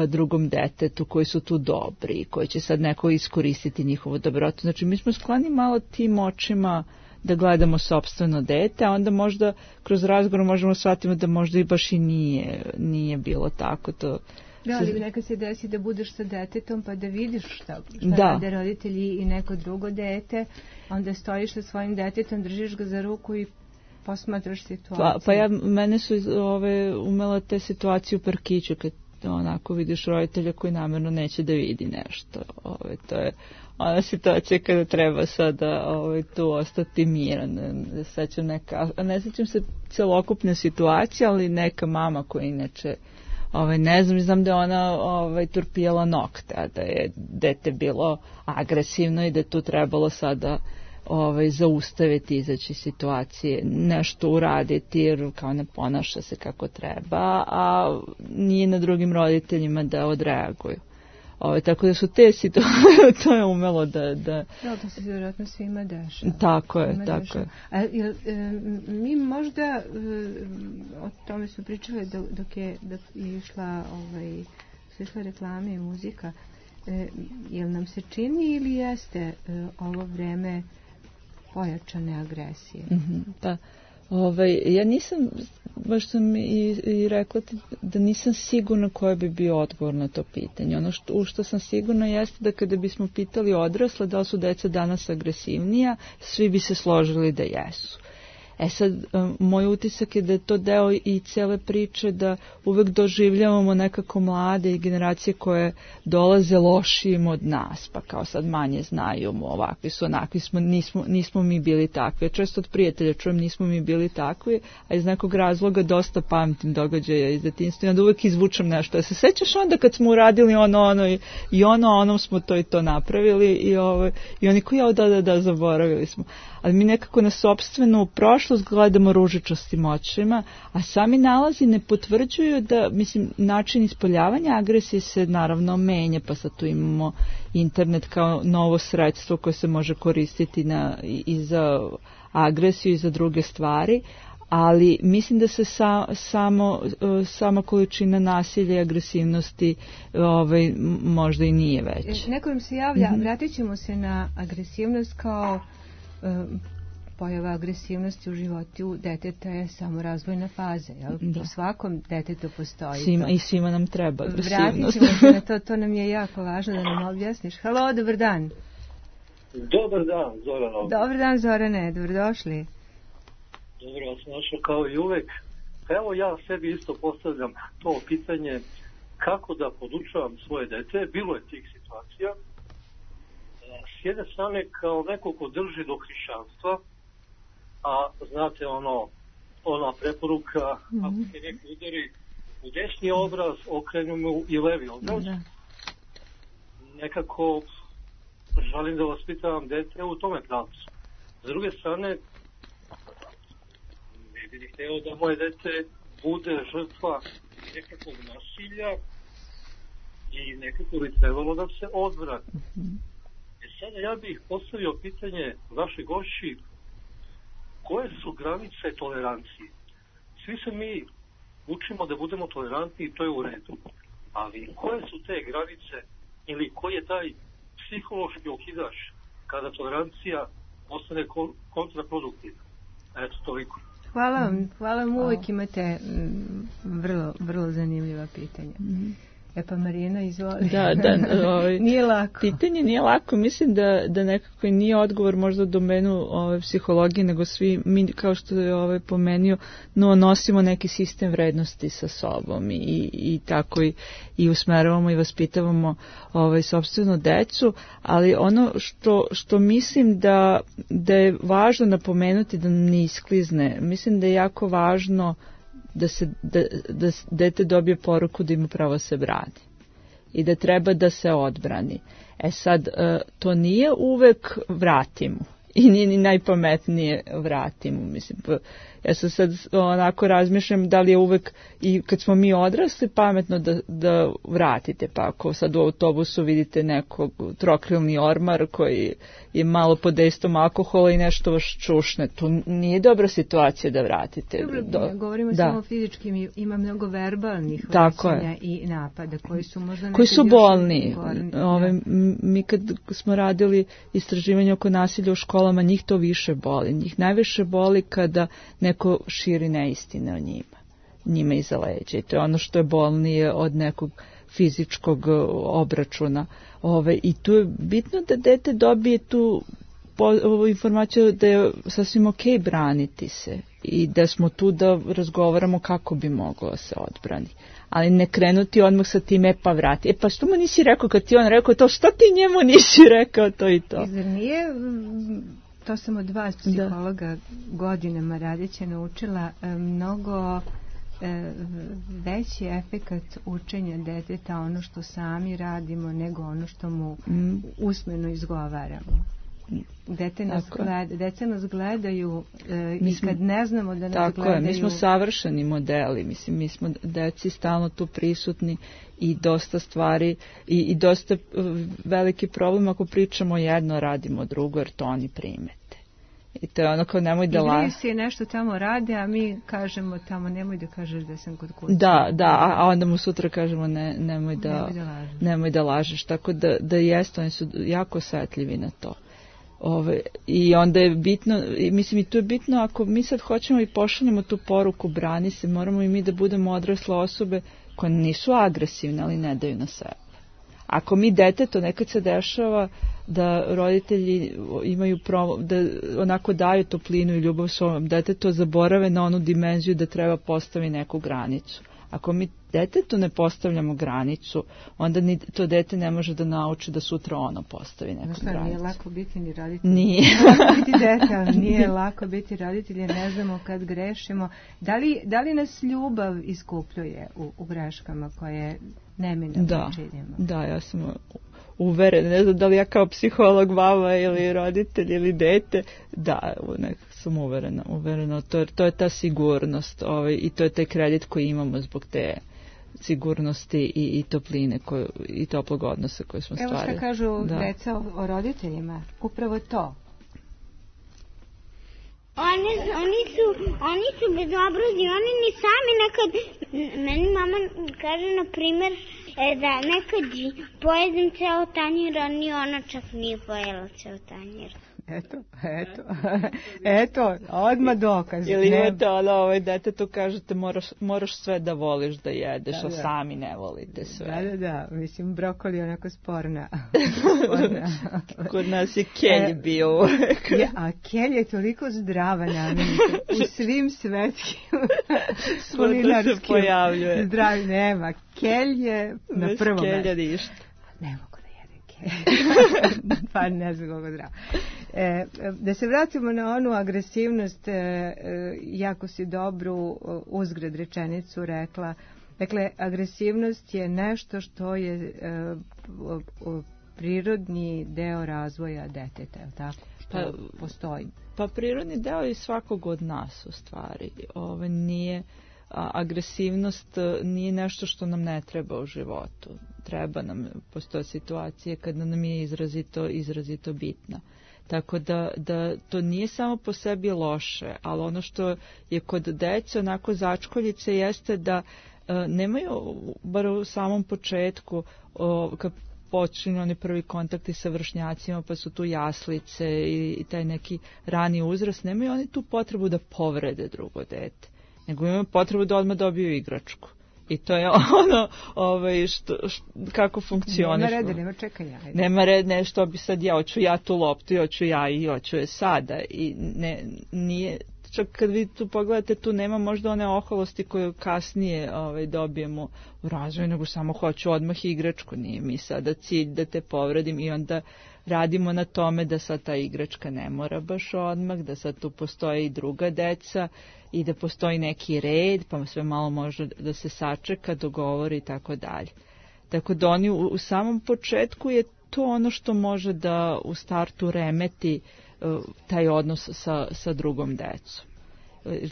Speaker 1: drugom detetu, koji su tu dobri, koji će sad neko iskoristiti njihovu dobrotu. Znači, mi smo skloni malo tim očima da gledamo sopstveno dete, a onda možda kroz razgovor možemo shvatiti da možda i baš i nije, nije bilo tako. To
Speaker 5: Da, ali neka se desi da budeš sa detetom pa da vidiš šta, šta
Speaker 1: da.
Speaker 5: rade roditelji i neko drugo dete, onda stojiš sa svojim detetom, držiš ga za ruku i posmatraš situaciju.
Speaker 1: Pa, pa ja, mene su ove, umela te situacije u parkiću, kad onako vidiš roditelja koji namjerno neće da vidi nešto. Ove, to je ona situacija kada treba sada ove, tu ostati miran. Sećam neka, ne sećam se celokupne situacije, ali neka mama koja inače Ovaj, ne znam, znam da je ona ovaj, turpijala nokte, a da je dete bilo agresivno i da je tu trebalo sada ovaj, zaustaviti, izaći situacije, nešto uraditi jer kao ne ponaša se kako treba, a nije na drugim roditeljima da odreaguju. Ovaj, tako da su te situacije, to je umelo da... Da,
Speaker 5: da to se vjerojatno svima dešava.
Speaker 1: Tako je,
Speaker 5: svima
Speaker 1: tako
Speaker 5: dešava.
Speaker 1: je.
Speaker 5: A, jel, e, mi možda, e, o tome su pričale dok, dok, je, dok je išla, ovaj, su išla reklame i muzika, e, jel nam se čini ili jeste e, ovo vreme pojačane agresije?
Speaker 1: Mm-hmm, da. Ovaj, ja nisam, baš sam i, i rekla da nisam sigurna koji bi bio odgovor na to pitanje. Ono što, u što sam sigurna jeste da kada bismo pitali odrasle da li su deca danas agresivnija, svi bi se složili da jesu. E sad, moj utisak je da je to deo i cele priče da uvek doživljavamo nekako mlade i generacije koje dolaze lošijim od nas, pa kao sad manje znaju mu, ovakvi su, onakvi smo, nismo, nismo mi bili takvi. Ja često od prijatelja čujem nismo mi bili takvi, a iz nekog razloga dosta pamtim događaja iz detinjstva i onda uvek izvučem nešto. Ja se sećaš onda kad smo uradili ono, ono i, i ono, onom smo to i to napravili i, ovo, i oni koji, ja, da, da, da, zaboravili smo. Ali mi nekako na sopstvenu prošlost gledamo ružičastim očima, a sami nalazi ne potvrđuju da, mislim, način ispoljavanja agresije se naravno menja, pa sad tu imamo internet kao novo sredstvo koje se može koristiti na, i za agresiju i za druge stvari, ali mislim da se sa, samo, sama količina nasilja i agresivnosti ovaj, možda i nije već.
Speaker 5: Neko nam se javlja, mm-hmm. vratit ćemo se na agresivnost kao pojava agresivnosti u životu deteta je samo razvojna faza. Jel? U svakom detetu postoji
Speaker 1: svima,
Speaker 5: to.
Speaker 1: I svima nam treba agresivnost.
Speaker 5: Vratit ćemo se na to, to nam je jako važno da nam objasniš. Halo, dobar dan.
Speaker 13: Dobar dan, Zorana.
Speaker 5: Dobar dan, Zorane, dobrodošli.
Speaker 13: Dobro vas našao kao i uvek. Evo ja sebi isto postavljam to pitanje kako da podučavam svoje dete. Bilo je tih situacija. S jedne strane kao neko ko drži do hrišćanstva, a znate ono, ona preporuka, mm-hmm. ako se neko udari u desni obraz, okrenu mu i levi obraz. Mm-hmm. Nekako želim da vas pitam dete u tome pravcu. S druge strane, ne bih hteo da moje dete bude žrtva nekakvog nasilja i nekako bi trebalo da se odvrati. Mm-hmm. E sada ja bih postavio pitanje vaše gošći, koje su granice tolerancije? Svi se mi učimo da budemo tolerantni i to je u redu. Ali koje su te granice ili koji je taj psihološki okidač kada tolerancija ostane kontraproduktivna? Eto, toliko.
Speaker 5: Hvala vam. Hvala vam. Uvijek imate vrlo, vrlo zanimljiva pitanja. Mm-hmm. E pa Marina, izvoli.
Speaker 1: Da, da, ovaj,
Speaker 5: nije lako.
Speaker 1: Pitanje nije lako. Mislim da, da nekako nije odgovor možda u domenu ove, psihologije, nego svi mi, kao što je ovaj, pomenio, no, nosimo neki sistem vrednosti sa sobom i, i tako i, i usmeravamo i vaspitavamo ovaj, sopstvenu decu, ali ono što, što mislim da, da je važno napomenuti da nam ne isklizne, mislim da je jako važno da se da, da dete dobije poruku da ima pravo se brani i da treba da se odbrani. E sad, to nije uvek vratimo i nije ni najpametnije vratimo. Mislim, ja sam sad onako razmišljam da li je uvek i kad smo mi odrasli pametno da, da vratite, pa ako sad u autobusu vidite nekog trokrilni ormar koji je malo pod dejstvom alkohola i nešto vas čušne, to nije dobra situacija da vratite.
Speaker 5: Dobro,
Speaker 1: Do,
Speaker 5: govorimo
Speaker 1: da.
Speaker 5: samo fizičkim, ima mnogo verbalnih vraćanja i napada koji su možda
Speaker 1: koji su bolni. Ove, mi kad smo radili istraživanje oko nasilja u školama, njih to više boli. Njih najviše boli kada neko širi neistine o njima, njima iza leđa. I to je ono što je bolnije od nekog fizičkog obračuna. Ove, I tu je bitno da dete dobije tu po, ovu informaciju da je sasvim ok braniti se i da smo tu da razgovaramo kako bi moglo se odbrani. Ali ne krenuti odmah sa tim, e pa vrati. E pa što mu nisi rekao kad ti on rekao to, što ti njemu nisi rekao to i to?
Speaker 5: Zar nije, to sam od vas psihologa da. godinama radeće naučila, mnogo veći efekat učenja deteta ono što sami radimo nego ono što mu mm. usmeno izgovaramo. Dete nas, gleda, dete nas gledaju e, i smo, kad ne znamo da nas tako gledaju... Tako je,
Speaker 1: mi smo savršeni modeli, mislim, mi smo deci stalno tu prisutni i dosta stvari i, i dosta veliki problem ako pričamo jedno, radimo drugo, jer to oni primete. I to je ono kao nemoj da lažeš.
Speaker 5: Igraju se nešto tamo rade, a mi kažemo tamo nemoj da kažeš da sam kod kuće.
Speaker 1: Da, da, a onda mu sutra kažemo ne, nemoj, da, nemoj, da lažeš. nemoj da lažeš. Tako da, da jeste, oni su jako osjetljivi na to. Ove, I onda je bitno, mislim i tu je bitno ako mi sad hoćemo i pošaljemo tu poruku brani se, moramo i mi da budemo odrasle osobe koje nisu agresivne, ali ne daju na sebe. Ako mi deteto, nekad se dešava da roditelji imaju pro, da onako daju toplinu i ljubav svom detetu, zaborave na onu dimenziju da treba postavi neku granicu. Ako mi detetu ne postavljamo granicu, onda ni to dete ne može da nauči da sutra ono postavi neku
Speaker 5: Znaš šta,
Speaker 1: granicu.
Speaker 5: Nije lako biti ni roditelj.
Speaker 1: Nije.
Speaker 5: Lako biti dete, ali nije lako biti roditelj jer ne znamo kad grešimo. Da li, da li nas ljubav iskupljuje u, u greškama koje neminovno
Speaker 1: da,
Speaker 5: činimo?
Speaker 1: Da, ja sam uverena. Ne znam da li ja kao psiholog, baba ili roditelj ili dete, da, nekako sam uverena. uverena. To, to je ta sigurnost ovaj, i to je taj kredit koji imamo zbog te sigurnosti i, i topline koju, i toplog odnosa koje smo stvarili.
Speaker 5: Evo što kažu da. deca o, o roditeljima. Upravo to.
Speaker 6: Oni, oni su, oni su bezobrazni, oni ni sami nekad, meni mama kaže na primjer da nekad pojedem ceo tanjir, a ni ona čak nije pojela ceo tanjir.
Speaker 5: Eto, eto, eto, odmah dokaz.
Speaker 1: Ili imate ono, ovaj dete tu kažete moraš, moraš sve da voliš da jedeš, da, a da. sami ne volite sve.
Speaker 5: Da, da, da, mislim brokoli je onako sporna. sporna.
Speaker 1: Kod nas je kelj bio uvek.
Speaker 5: Ja, a kelj je toliko zdrava namirnica u svim svetskim kulinarskim
Speaker 1: se pojavljuje.
Speaker 5: Zdravi nema. Kelj je na
Speaker 1: bez
Speaker 5: prvom
Speaker 1: kelja
Speaker 5: mestu.
Speaker 1: ništa.
Speaker 5: Ne mogu da jedem kelj. Pa ne znam kako zdravo. E, da se vratimo na onu agresivnost, e, e, jako si dobru uzgred rečenicu rekla. Dakle, agresivnost je nešto što je e, o, o, prirodni deo razvoja deteta, je li tako? Što pa, postoji.
Speaker 1: Pa prirodni deo je svakog od nas u stvari. Ove nije, a, agresivnost nije nešto što nam ne treba u životu. Treba nam, postoje situacije kada nam je izrazito, izrazito bitna. Tako da, da to nije samo po sebi loše, ali ono što je kod dece onako začkoljice jeste da e, nemaju, bar u samom početku, o, kad počinju oni prvi kontakti sa vršnjacima, pa su tu jaslice i, i taj neki rani uzrast, nemaju oni tu potrebu da povrede drugo dete, nego imaju potrebu da odmah dobiju igračku. I to je ono, ovaj, što, što, kako funkcioniš.
Speaker 5: Nema reda, nema čekanja. Ajde.
Speaker 1: Nema red, nešto bi sad ja, hoću ja tu loptu, hoću ja i hoću je sada. I ne, nije, čak kad vi tu pogledate, tu nema možda one oholosti koje kasnije ovaj, dobijemo u razvoju, nego samo hoću odmah igračku. Nije mi sada cilj da te povredim i onda radimo na tome da sad ta igračka ne mora baš odmah, da sad tu postoje i druga deca i da postoji neki red, pa sve malo može da se sačeka, dogovori i tako dalje. Tako da oni u, u samom početku je to ono što može da u startu remeti uh, taj odnos sa, sa drugom decom.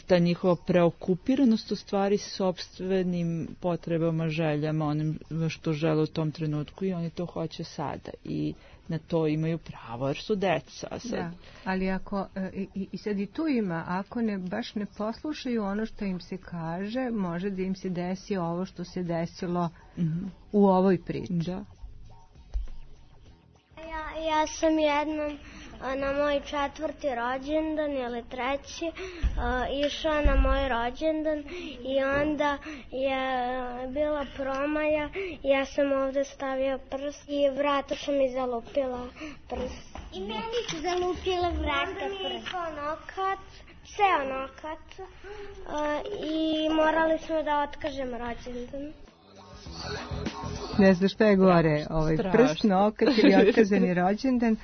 Speaker 1: Ta njihova preokupiranost u stvari sopstvenim potrebama, željama, onim što žele u tom trenutku i oni to hoće sada i na to imaju pravo jer su deca. Sad.
Speaker 5: Da, ali ako, i, i sad i tu ima, ako ne, baš ne poslušaju ono što im se kaže, može da im se desi ovo što se desilo mm-hmm. u ovoj priči.
Speaker 1: Da.
Speaker 6: Ja, ja sam jednom na moj četvrti rođendan ili treći uh, išao na moj rođendan i onda je bila promaja, ja sam ovde stavio prst i vrata su mi zalupila prst. I meni su zalupila vrata prst. Nokat, ceo nokat uh, i morali smo da otkažemo rođendan.
Speaker 5: Ne znam šta je gore, ovaj prst, nokat ili otkazani rođendan,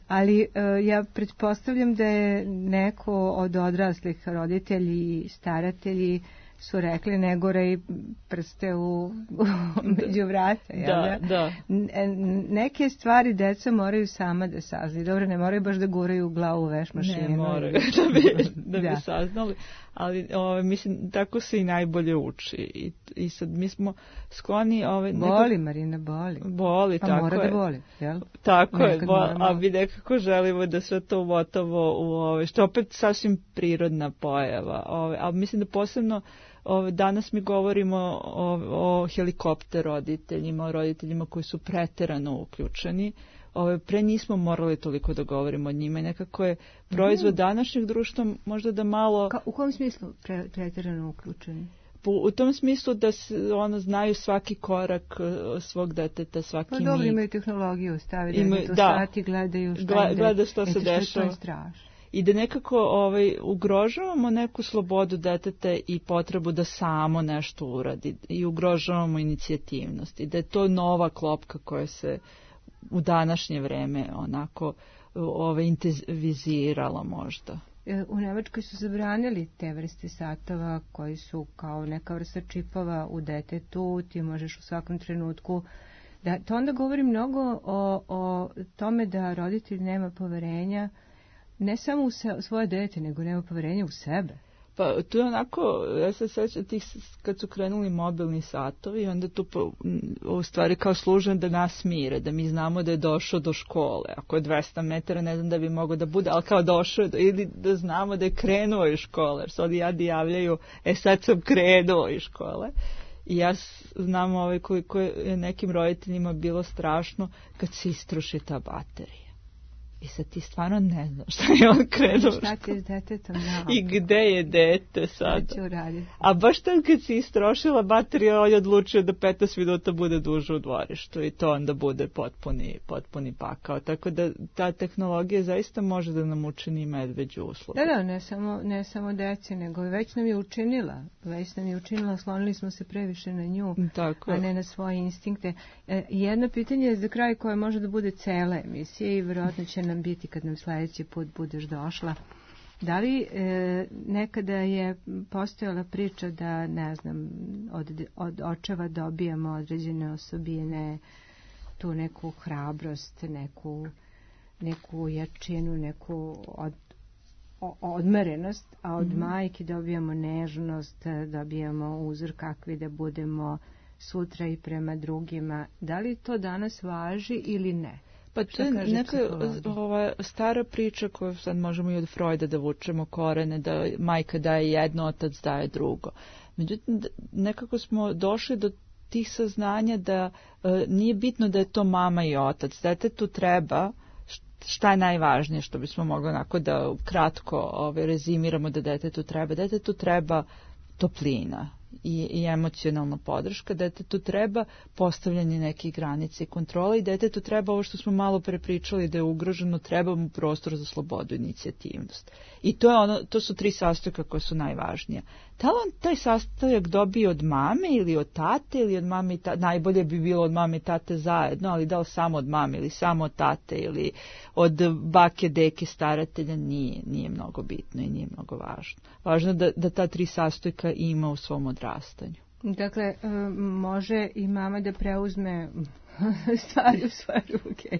Speaker 5: ali uh, ja pretpostavljam da je neko od odraslih roditelji i staratelji su rekli ne gore prste u, u među vrata.
Speaker 1: Da, da. da.
Speaker 5: Neke stvari deca moraju sama da saznaju. Dobro, ne moraju baš da guraju u glavu u veš mašinu.
Speaker 1: Ne moraju da bi, da bi da. saznali. Ali ove, mislim, tako se i najbolje uči. I, i sad mi smo skloni... Ove,
Speaker 5: nekako, boli, Marina, boli.
Speaker 1: Boli,
Speaker 5: pa
Speaker 1: tako
Speaker 5: mora
Speaker 1: je.
Speaker 5: da boli, jel?
Speaker 1: Tako Nekad je, bol, a mi nekako želimo da sve to umotovo u ove, što opet sasvim prirodna pojava. Ove, ali mislim da posebno ove, danas mi govorimo o, o helikopter roditeljima, o roditeljima koji su preterano uključeni. Ove, pre nismo morali toliko da govorimo o njima i nekako je proizvod mm. današnjeg društva možda da malo...
Speaker 5: Ka, u kom smislu pre, preterano uključeni?
Speaker 1: Po, u tom smislu da se, ono, znaju svaki korak uh, svog deteta, svaki mig.
Speaker 5: Pa dobro, imaju tehnologiju, stavili Ima, da sati, gledaju šta
Speaker 1: Gla, gleda što se dešava.
Speaker 5: Što je strašno.
Speaker 1: I da nekako ovaj, ugrožavamo neku slobodu deteta i potrebu da samo nešto uradi i ugrožavamo inicijativnost i da je to nova klopka koja se u današnje vreme onako ove, intenzivizirala možda.
Speaker 5: U Nemačkoj su zabranili te vrste satova koji su kao neka vrsta čipova u detetu, ti možeš u svakom trenutku da, to onda govori mnogo o, o tome da roditelj nema poverenja ne samo u se, svoje dete, nego nema poverenja u sebe.
Speaker 1: Pa tu je onako, ja se sjećam tih kad su krenuli mobilni satovi, onda tu po, u stvari kao služe da nas mire, da mi znamo da je došao do škole. Ako je dvesta metara, ne znam da bi mogao da bude, ali kao došao, ili da znamo da je krenuo iz škole, jer se ovdje jadi javljaju, e sad sam krenuo iz škole. I ja znam ovaj, koliko je nekim roditeljima bilo strašno kad se istroši ta baterija. I sad ti stvarno ne znaš šta je on krenuo.
Speaker 5: Šta ti s detetom?
Speaker 1: I gde je dete sad?
Speaker 5: Šta će uraditi?
Speaker 1: A baš tad kad si istrošila bateriju, on je odlučio da petnaest minuta bude duže u dvorištu i to onda bude potpuni, potpuni pakao. Tako da ta tehnologija zaista može da nam učini medveđu uslugu.
Speaker 5: Da, da, ne samo, ne samo deci, nego već nam je učinila. Već nam je učinila, slonili smo se previše na nju,
Speaker 1: Tako.
Speaker 5: a ne na svoje instinkte. E, jedno pitanje je za kraj koje može da bude cele emisije i vjerojatno će nam biti kad nam sljedeći put budeš došla. Da li e, nekada je postojala priča da, ne znam, od, od očeva dobijamo određene osobine, tu neku hrabrost, neku, neku jačinu, neku od, o, odmerenost, a od mm-hmm. majke dobijamo nežnost, dobijamo uzor kakvi da budemo sutra i prema drugima. Da li to danas važi ili ne?
Speaker 1: Pa to je neka ova stara priča koju sad možemo i od Freuda da vučemo korene, da majka daje jedno, otac daje drugo. Međutim, nekako smo došli do tih saznanja da e, nije bitno da je to mama i otac. Detetu treba, šta je najvažnije što bismo mogli onako da kratko ove, rezimiramo da detetu treba. Detetu treba toplina i, i emocionalna podrška, detetu treba postavljanje nekih granica i kontrola i detetu treba ovo što smo malo prepričali da je ugroženo, treba mu prostor za slobodu i inicijativnost. I to, je ono, to su tri sastojka koje su najvažnije. Da li on taj sastojak dobije od mame ili od tate ili od mame i tate, najbolje bi bilo od mame i tate zajedno, ali da li samo od mame ili samo od tate ili od bake, deke, staratelja, nije, nije mnogo bitno i nije mnogo važno. Važno da, da ta tri sastojka ima u svom odrastanju.
Speaker 5: Dakle, može i mama da preuzme stvari u svoje ruke.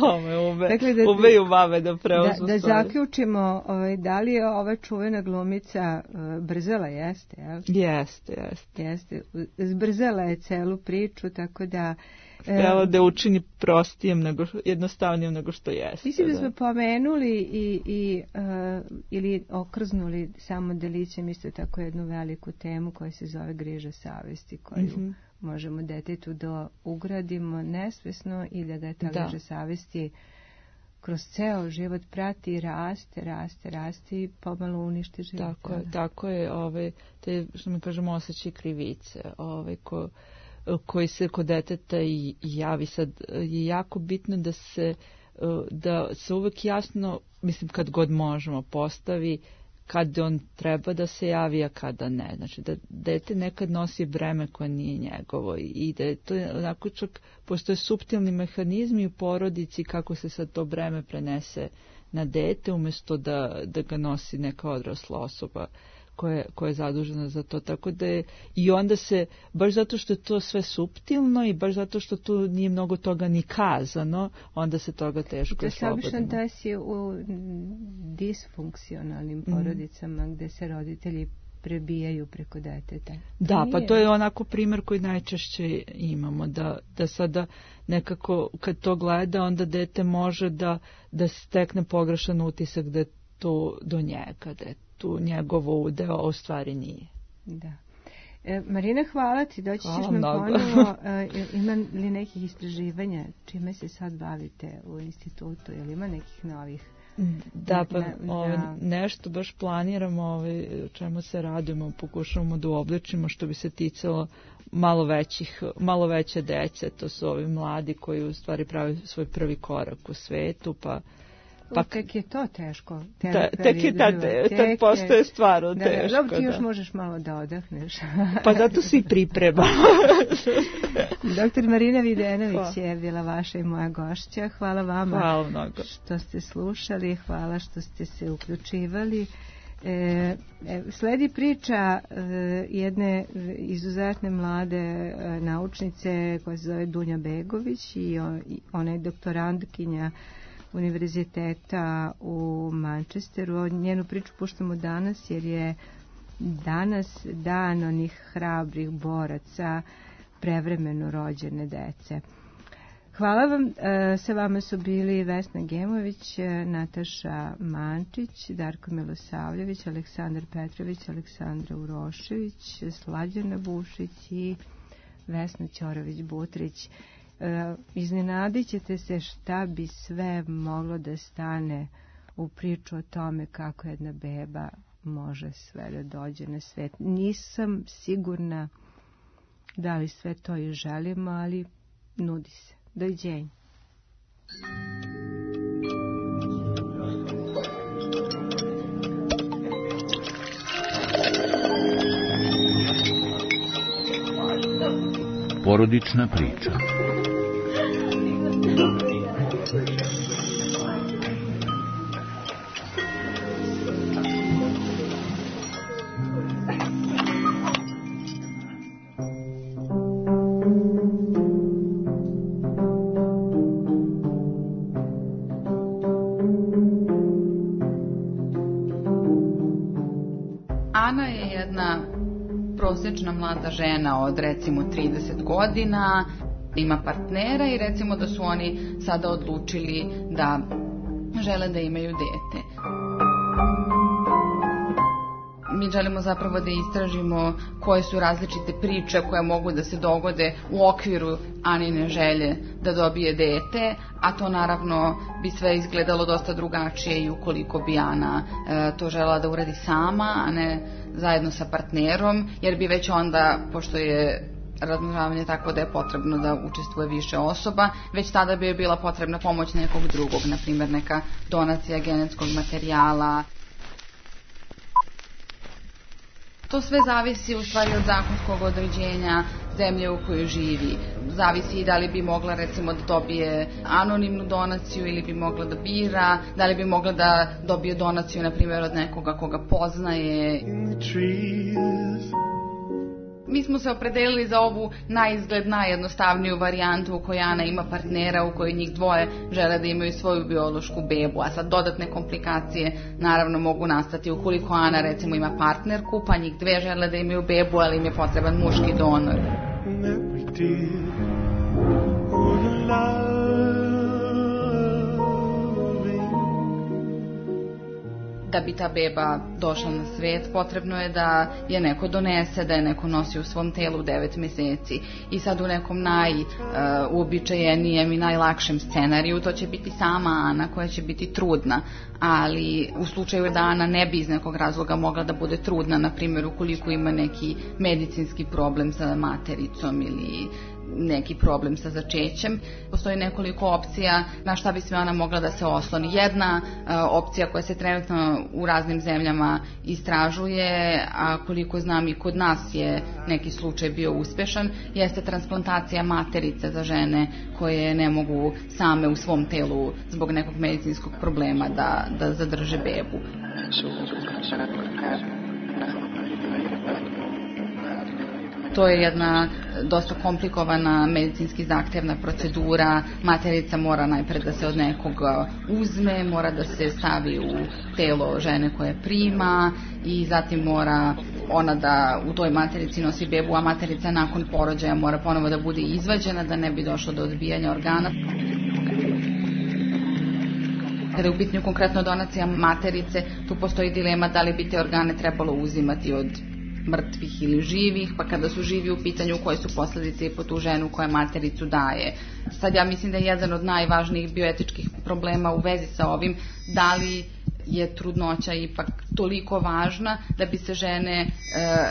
Speaker 1: Ome, dakle, da, umeju mame da preuzmu
Speaker 5: da, da
Speaker 1: stvari.
Speaker 5: Da zaključimo, ovaj, da li je ova čuvena glumica uh, brzela, jeste, jel?
Speaker 1: Jeste, jeste.
Speaker 5: Jeste, zbrzela je celu priču, tako da...
Speaker 1: Htjela da učini prostijem, nego, jednostavnijem nego što jeste.
Speaker 5: Mislim da smo pomenuli i, i, uh, ili okrznuli samo delićem isto tako jednu veliku temu koja se zove griža savesti, koju mm-hmm. možemo detetu da ugradimo nesvesno i da ga ta griža savesti kroz ceo život prati i raste, raste, raste i pomalo uništi život.
Speaker 1: Tako je, tako je, ovaj, te, što mi kažemo, osjećaj krivice, ovaj, ko, koji se kod deteta i javi. Sad je jako bitno da se, da se uvek jasno, mislim kad god možemo, postavi kad on treba da se javi, a kada ne. Znači da dete nekad nosi breme koje nije njegovo i da je to onako čak postoje suptilni mehanizmi u porodici kako se sad to breme prenese na dete umjesto da, da ga nosi neka odrasla osoba koja, koja je zadužena za to. Tako da je, i onda se, baš zato što je to sve suptilno i baš zato što tu nije mnogo toga ni kazano, onda se toga teško
Speaker 5: je slobodno. To se obično desi u disfunkcionalnim porodicama mm. gde se roditelji prebijaju preko deteta.
Speaker 1: Da, nije. Pa to je onako primjer koji najčešće imamo, da, da sada nekako kad to gleda, onda dete može da, da stekne pogrešan utisak da je to do njega, da je tu njegovo udeo, a u stvari nije.
Speaker 5: Da. E, Marina, hvala ti, doći ćeš nam ponovo. E, ima li nekih istraživanja čime se sad bavite u institutu? Je li ima nekih novih?
Speaker 1: Da, pa ne, ove, nešto baš planiramo, ove, čemu se radimo, pokušavamo da uobličimo što bi se ticalo malo većih, malo veće dece, to su ovi mladi koji u stvari pravi svoj prvi korak u svetu, pa
Speaker 5: Pa tek je to teško.
Speaker 1: Ta, tek je tad, tad postoje stvarno
Speaker 5: da,
Speaker 1: teško.
Speaker 5: Dobro, ti još da. možeš malo da odahneš.
Speaker 1: Pa zato se i priprema.
Speaker 5: Doktor Marina Videnović je bila vaša i moja gošća. Hvala vama
Speaker 1: Hvala mnogo.
Speaker 5: što ste slušali, hvala što ste se uključivali. E, sledi priča e, jedne izuzetne mlade e, naučnice koja se zove Dunja Begović i, on, i ona je doktorantkinja univerziteta u Manchesteru. Njenu priču puštamo danas jer je danas dan onih hrabrih boraca prevremeno rođene dece. Hvala vam. Sa vama su bili Vesna Gemović, Nataša Mančić, Darko Milosavljević, Aleksandar Petrović, Aleksandra Urošević, Slađana Bušić i Vesna Ćorović-Butrić. Iznenadit ćete se šta bi sve moglo da stane u priču o tome kako jedna beba može sve da dođe na svet. Nisam sigurna da li sve to i želimo, ali nudi se. Doviđenja.
Speaker 3: Porodična priča.
Speaker 4: Ana je jedna prosječna mlada žena od recimo trideset godina, ima partnera i recimo da su oni sada odlučili da žele da imaju dete. Mi želimo zapravo da istražimo koje su različite priče koje mogu da se dogode u okviru Anine želje da dobije dete, a to naravno bi sve izgledalo dosta drugačije i ukoliko bi Ana e, to želela da uradi sama, a ne zajedno sa partnerom, jer bi već onda, pošto je razmnožavanje tako da je potrebno da učestvuje više osoba, već tada bi je bila potrebna pomoć nekog drugog, na primjer neka donacija genetskog materijala. To sve zavisi u stvari od zakonskog određenja zemlje u kojoj živi. Zavisi i da li bi mogla recimo da dobije anonimnu donaciju ili bi mogla da bira, da li bi mogla da dobije donaciju na primjer od nekoga koga poznaje. Mi smo se opredelili za ovu naizgled najjednostavniju varijantu u kojoj Ana ima partnera, u kojoj njih dvoje žele da imaju svoju biološku bebu, a sad dodatne komplikacije naravno mogu nastati ukoliko Ana recimo ima partnerku, pa njih dve žele da imaju bebu, ali im je potreban muški donor. da bi ta beba došla na svet, potrebno je da je neko donese, da je neko nosi u svom telu devet meseci. I sad u nekom najuobičajenijem i najlakšem scenariju to će biti sama Ana koja će biti trudna, ali u slučaju da Ana ne bi iz nekog razloga mogla da bude trudna, na primjer ukoliko ima neki medicinski problem sa matericom ili neki problem sa začećem, postoji nekoliko opcija na šta bi sve ona mogla da se osloni. Jedna uh, opcija koja se trenutno u raznim zemljama istražuje, a koliko znam i kod nas je neki slučaj bio uspešan, jeste transplantacija materice za žene koje ne mogu same u svom telu zbog nekog medicinskog problema da, da zadrže bebu. To je jedna dosta komplikovana medicinski zahtevna procedura. Materica mora najpre da se od nekoga uzme, mora da se stavi u telo žene koje prima i zatim mora ona da u toj materici nosi bebu, a materica nakon porođaja mora ponovo da bude izvađena da ne bi došlo do odbijanja organa. Kada je u pitanju konkretno donacija materice, tu postoji dilema da li bi te organe trebalo uzimati od mrtvih ili živih, pa kada su živi u pitanju koje su posledice i po tu ženu koja matericu daje. Sad ja mislim da je jedan od najvažnijih bioetičkih problema u vezi sa ovim da li je trudnoća ipak toliko važna da bi se žene e,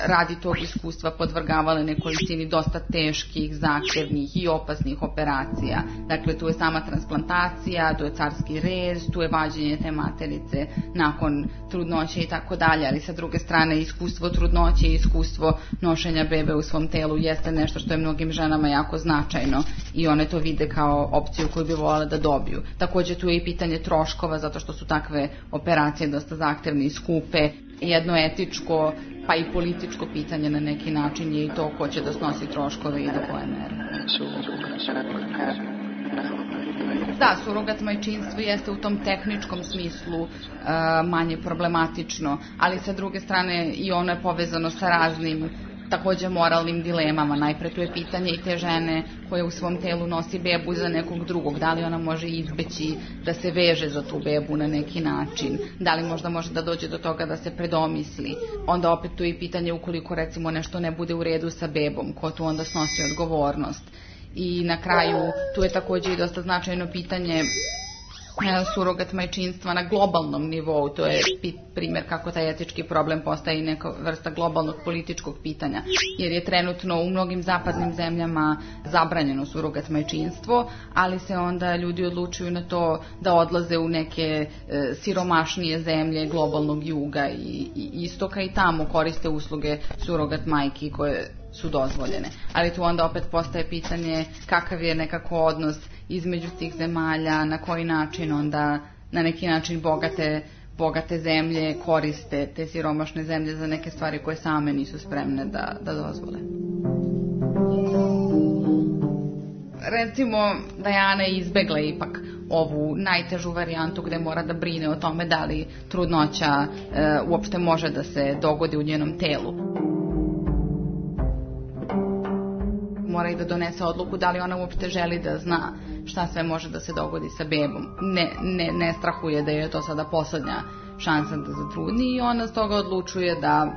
Speaker 4: radi tog iskustva podvrgavale nekolicini dosta teških, zahtevnih i opasnih operacija. Dakle, tu je sama transplantacija, tu je carski rez, tu je vađenje te materice nakon trudnoće i tako dalje, ali sa druge strane iskustvo trudnoće i iskustvo nošenja bebe u svom telu jeste nešto što je mnogim ženama jako značajno i one to vide kao opciju koju bi voljela da dobiju. Takođe tu je i pitanje troškova zato što su takve operacije dosta zahtevne i skupe. Jedno etičko pa i političko pitanje na neki način je i to ko će da snosi troškove i do koje mere. Da, surogat majčinstvo jeste u tom tehničkom smislu uh, manje problematično, ali sa druge strane i ono je povezano sa raznim takođe moralnim dilemama. Najpre tu je pitanje i te žene koja u svom telu nosi bebu za nekog drugog. Da li ona može izbeći da se veže za tu bebu na neki način? Da li možda može da dođe do toga da se predomisli? Onda opet tu je i pitanje ukoliko recimo nešto ne bude u redu sa bebom, ko tu onda snosi odgovornost? I na kraju tu je takođe i dosta značajno pitanje surogat majčinstva na globalnom nivou. To je primjer kako taj etički problem postaje i neka vrsta globalnog političkog pitanja, jer je trenutno u mnogim zapadnim zemljama zabranjeno surogat majčinstvo, ali se onda ljudi odlučuju na to da odlaze u neke e, siromašnije zemlje globalnog juga i, i istoka i tamo koriste usluge surogat majki koje su dozvoljene. Ali tu onda opet postaje pitanje kakav je nekako odnos između tih zemalja, na koji način onda na neki način bogate, bogate zemlje koriste te siromašne zemlje za neke stvari koje same nisu spremne da, da dozvole. Recimo da je Ana izbegla ipak ovu najtežu varijantu gde mora da brine o tome da li trudnoća e, uopšte može da se dogodi u njenom telu. Mora i da donese odluku da li ona uopšte želi da zna šta sve može da se dogodi sa bebom. Ne, ne, ne strahuje da je to sada poslednja šansa da zatrudni i ona s toga odlučuje da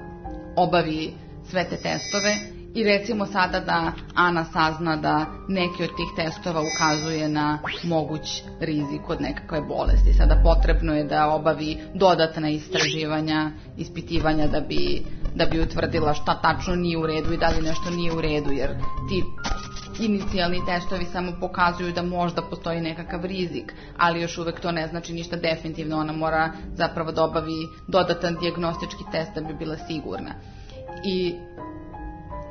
Speaker 4: obavi sve te testove i recimo sada da Ana sazna da neki od tih testova ukazuje na moguć rizik od nekakve bolesti. Sada potrebno je da obavi dodatna istraživanja, ispitivanja da bi, da bi utvrdila šta tačno nije u redu i da li nešto nije u redu, jer ti inicijalni testovi samo pokazuju da možda postoji nekakav rizik, ali još uvek to ne znači ništa definitivno. Ona mora zapravo da obavi dodatan dijagnostički test da bi bila sigurna. I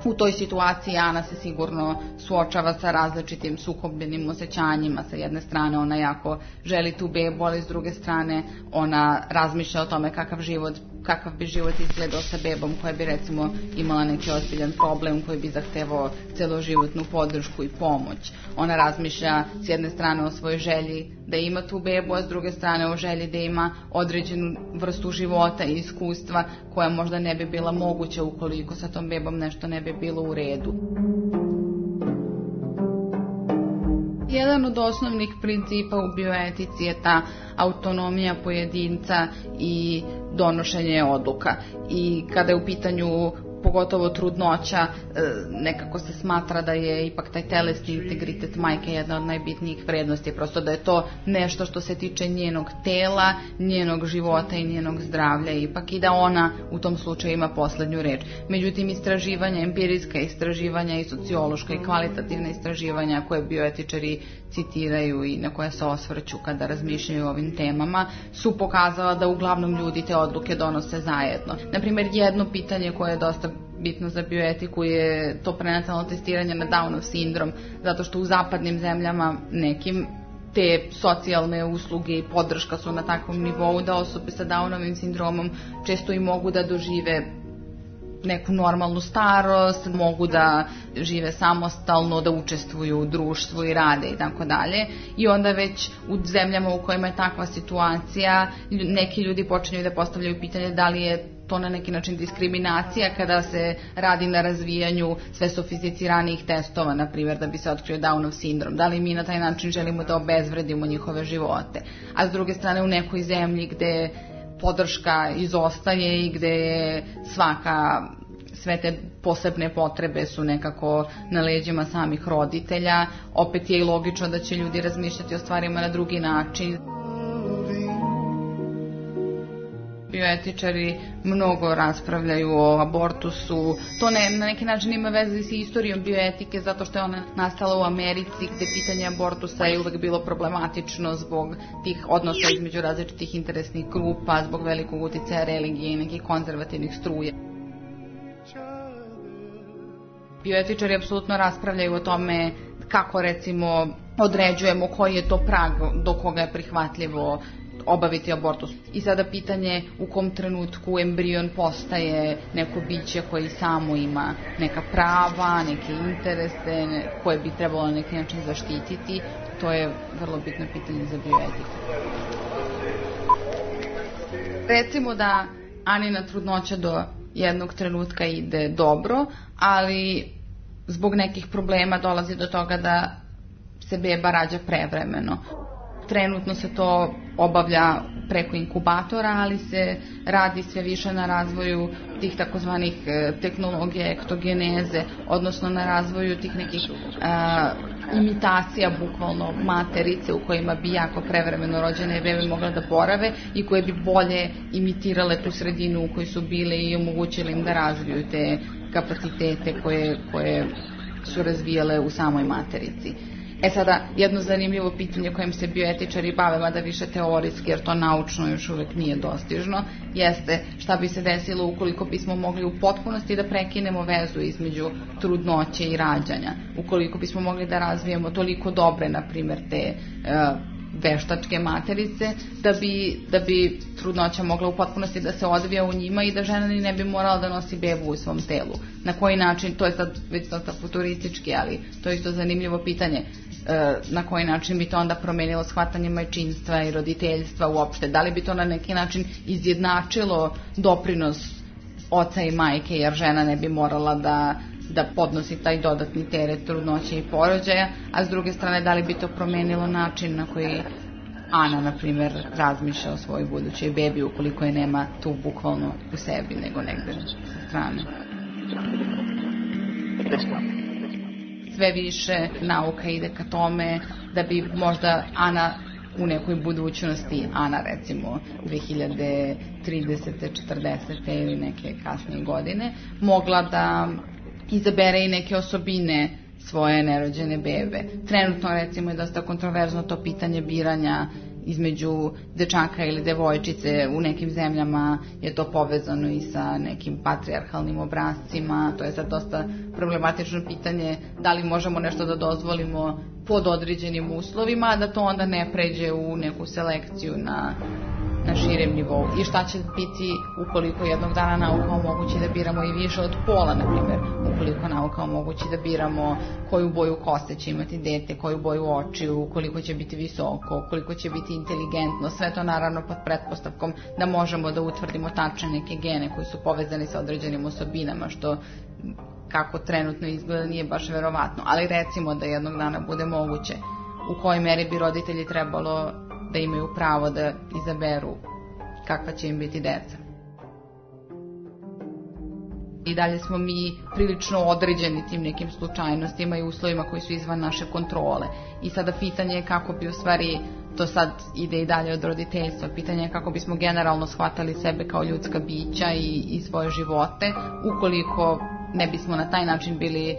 Speaker 4: u toj situaciji Ana se sigurno suočava sa različitim sukobljenim osjećanjima. Sa jedne strane ona jako želi tu bebu, ali s druge strane ona razmišlja o tome kakav život, kakav bi život izgledao sa bebom koja bi recimo imala neki ozbiljan problem koji bi zahtevao celoživotnu podršku i pomoć. Ona razmišlja s jedne strane o svojoj želji da ima tu bebu, a s druge strane o želji da ima određenu vrstu života i iskustva koja možda ne bi bila moguća ukoliko sa tom bebom nešto ne bi bilo u redu. Jedan od osnovnih principa u bioetici je ta autonomija pojedinca i donošenje odluka. I kada je u pitanju pogotovo trudnoća, nekako se smatra da je ipak taj telesni integritet majke jedna od najbitnijih vrednosti, prosto da je to nešto što se tiče njenog tela, njenog života i njenog zdravlja ipak, i da ona u tom slučaju ima poslednju reč. Međutim, istraživanja, empirijska istraživanja i sociološka i kvalitativna istraživanja koje bioetičari citiraju i na koje se osvrću kada razmišljaju o ovim temama, su pokazala da uglavnom ljudi te odluke donose zajedno. Naprimjer, jedno pitanje koje je dosta bitno za bioetiku je to prenatalno testiranje na Downov sindrom, zato što u zapadnim zemljama nekim te socijalne usluge i podrška su na takvom nivou da osobe sa Downovim sindromom često i mogu da dožive neku normalnu starost, mogu da žive samostalno, da učestvuju u društvu i rade i tako dalje. I onda već u zemljama u kojima je takva situacija, neki ljudi počinju da postavljaju pitanje da li je to na neki način diskriminacija kada se radi na razvijanju sve sofisticiranijih testova, na primjer, da bi se otkrio Downov sindrom. Da li mi na taj način želimo da obezvredimo njihove živote? A s druge strane, u nekoj zemlji gde podrška izostaje i gde je svaka, sve te posebne potrebe su nekako na leđima samih roditelja, opet je i logično da će ljudi razmišljati o stvarima na drugi način. Bioetičari mnogo raspravljaju o abortusu. To ne, na neki način ima veze s istorijom bioetike, zato što je ona nastala u Americi, gde pitanje abortusa je uvek bilo problematično zbog tih odnosa između različitih interesnih grupa, zbog velikog uticaja religije i nekih konzervativnih struja. Bioetičari apsolutno raspravljaju o tome kako, recimo, određujemo koji je to prag do koga je prihvatljivo obaviti abortus. I sada pitanje u kom trenutku embrion postaje neko biće koji samo ima neka prava, neke interese, ne, koje bi trebalo na neki način zaštititi, to je vrlo bitno pitanje za bioetiku. Recimo da Anina trudnoća do jednog trenutka ide dobro, ali zbog nekih problema dolazi do toga da se beba rađa prevremeno. Trenutno se to obavlja preko inkubatora, ali se radi sve više na razvoju tih takozvanih tehnologija ektogeneze, odnosno na razvoju tih nekih a, imitacija bukvalno materice u kojima bi jako prevremeno rođene bebe mogle da borave i koje bi bolje imitirale tu sredinu u kojoj su bile i omogućile im da razviju te kapacitete koje, koje su razvijale u samoj materici. E sada, jedno zanimljivo pitanje kojim se bioetičari bave, mada više teorijski, jer to naučno još uvek nije dostižno, jeste šta bi se desilo ukoliko bismo mogli u potpunosti da prekinemo vezu između trudnoće i rađanja. Ukoliko bismo mogli da razvijemo toliko dobre, na primjer, te uh, veštačke materice, da bi, da bi trudnoća mogla u potpunosti da se odvija u njima i da žena ni ne bi morala da nosi bebu u svom telu. Na koji način, to je sad već dosta futuristički, ali to je isto zanimljivo pitanje, na koji način bi to onda promenilo shvatanje majčinstva i roditeljstva uopšte. Da li bi to na neki način izjednačilo doprinos oca i majke, jer žena ne bi morala da da podnosi taj dodatni teret trudnoće i porođaja, a s druge strane da li bi to promenilo način na koji Ana, na primjer, razmišlja o svojoj budućoj bebi ukoliko je nema tu bukvalno u sebi, nego negde sa strane. Sve više nauka ide ka tome da bi možda Ana u nekoj budućnosti, Ana recimo dve hiljade tridesete, četrdesete ili neke kasnije godine, mogla da izabere i neke osobine svoje nerođene bebe. Trenutno recimo je dosta kontroverzno to pitanje biranja između dečaka ili devojčice. U nekim zemljama je to povezano i sa nekim patrijarhalnim obrascima. To je sad dosta problematično pitanje da li možemo nešto da dozvolimo pod određenim uslovima, a da to onda ne pređe u neku selekciju na na širem nivou. I šta će biti ukoliko jednog dana nauka omogući da biramo i više od pola, na primjer, ukoliko nauka omogući da biramo koju boju kose će imati dete, koju boju očiju, koliko će biti visoko, koliko će biti inteligentno, sve to naravno pod pretpostavkom da možemo da utvrdimo tačne neke gene koji su povezani sa određenim osobinama, što kako trenutno izgleda nije baš verovatno, ali recimo da jednog dana bude moguće. U kojoj meri bi roditelji trebalo da imaju pravo da izaberu kakva će im biti deca. I dalje smo mi prilično određeni tim nekim slučajnostima i uslovima koji su izvan naše kontrole. I sada pitanje je kako bi u stvari, to sad ide i dalje od roditeljstva, pitanje je kako bismo generalno shvatali sebe kao ljudska bića i, i svoje živote, ukoliko ne bismo na taj način bili e,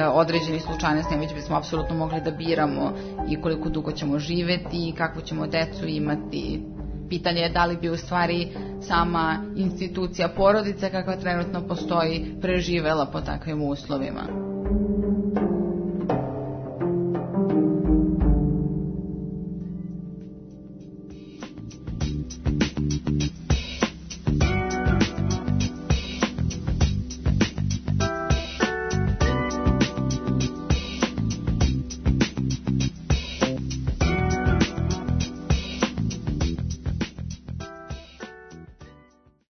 Speaker 4: određeni slučajnosti, već bismo apsolutno mogli da biramo i koliko dugo ćemo živeti i kakvu ćemo decu imati. Pitanje je da li bi u stvari sama institucija porodice kakva trenutno postoji preživela po takvim uslovima.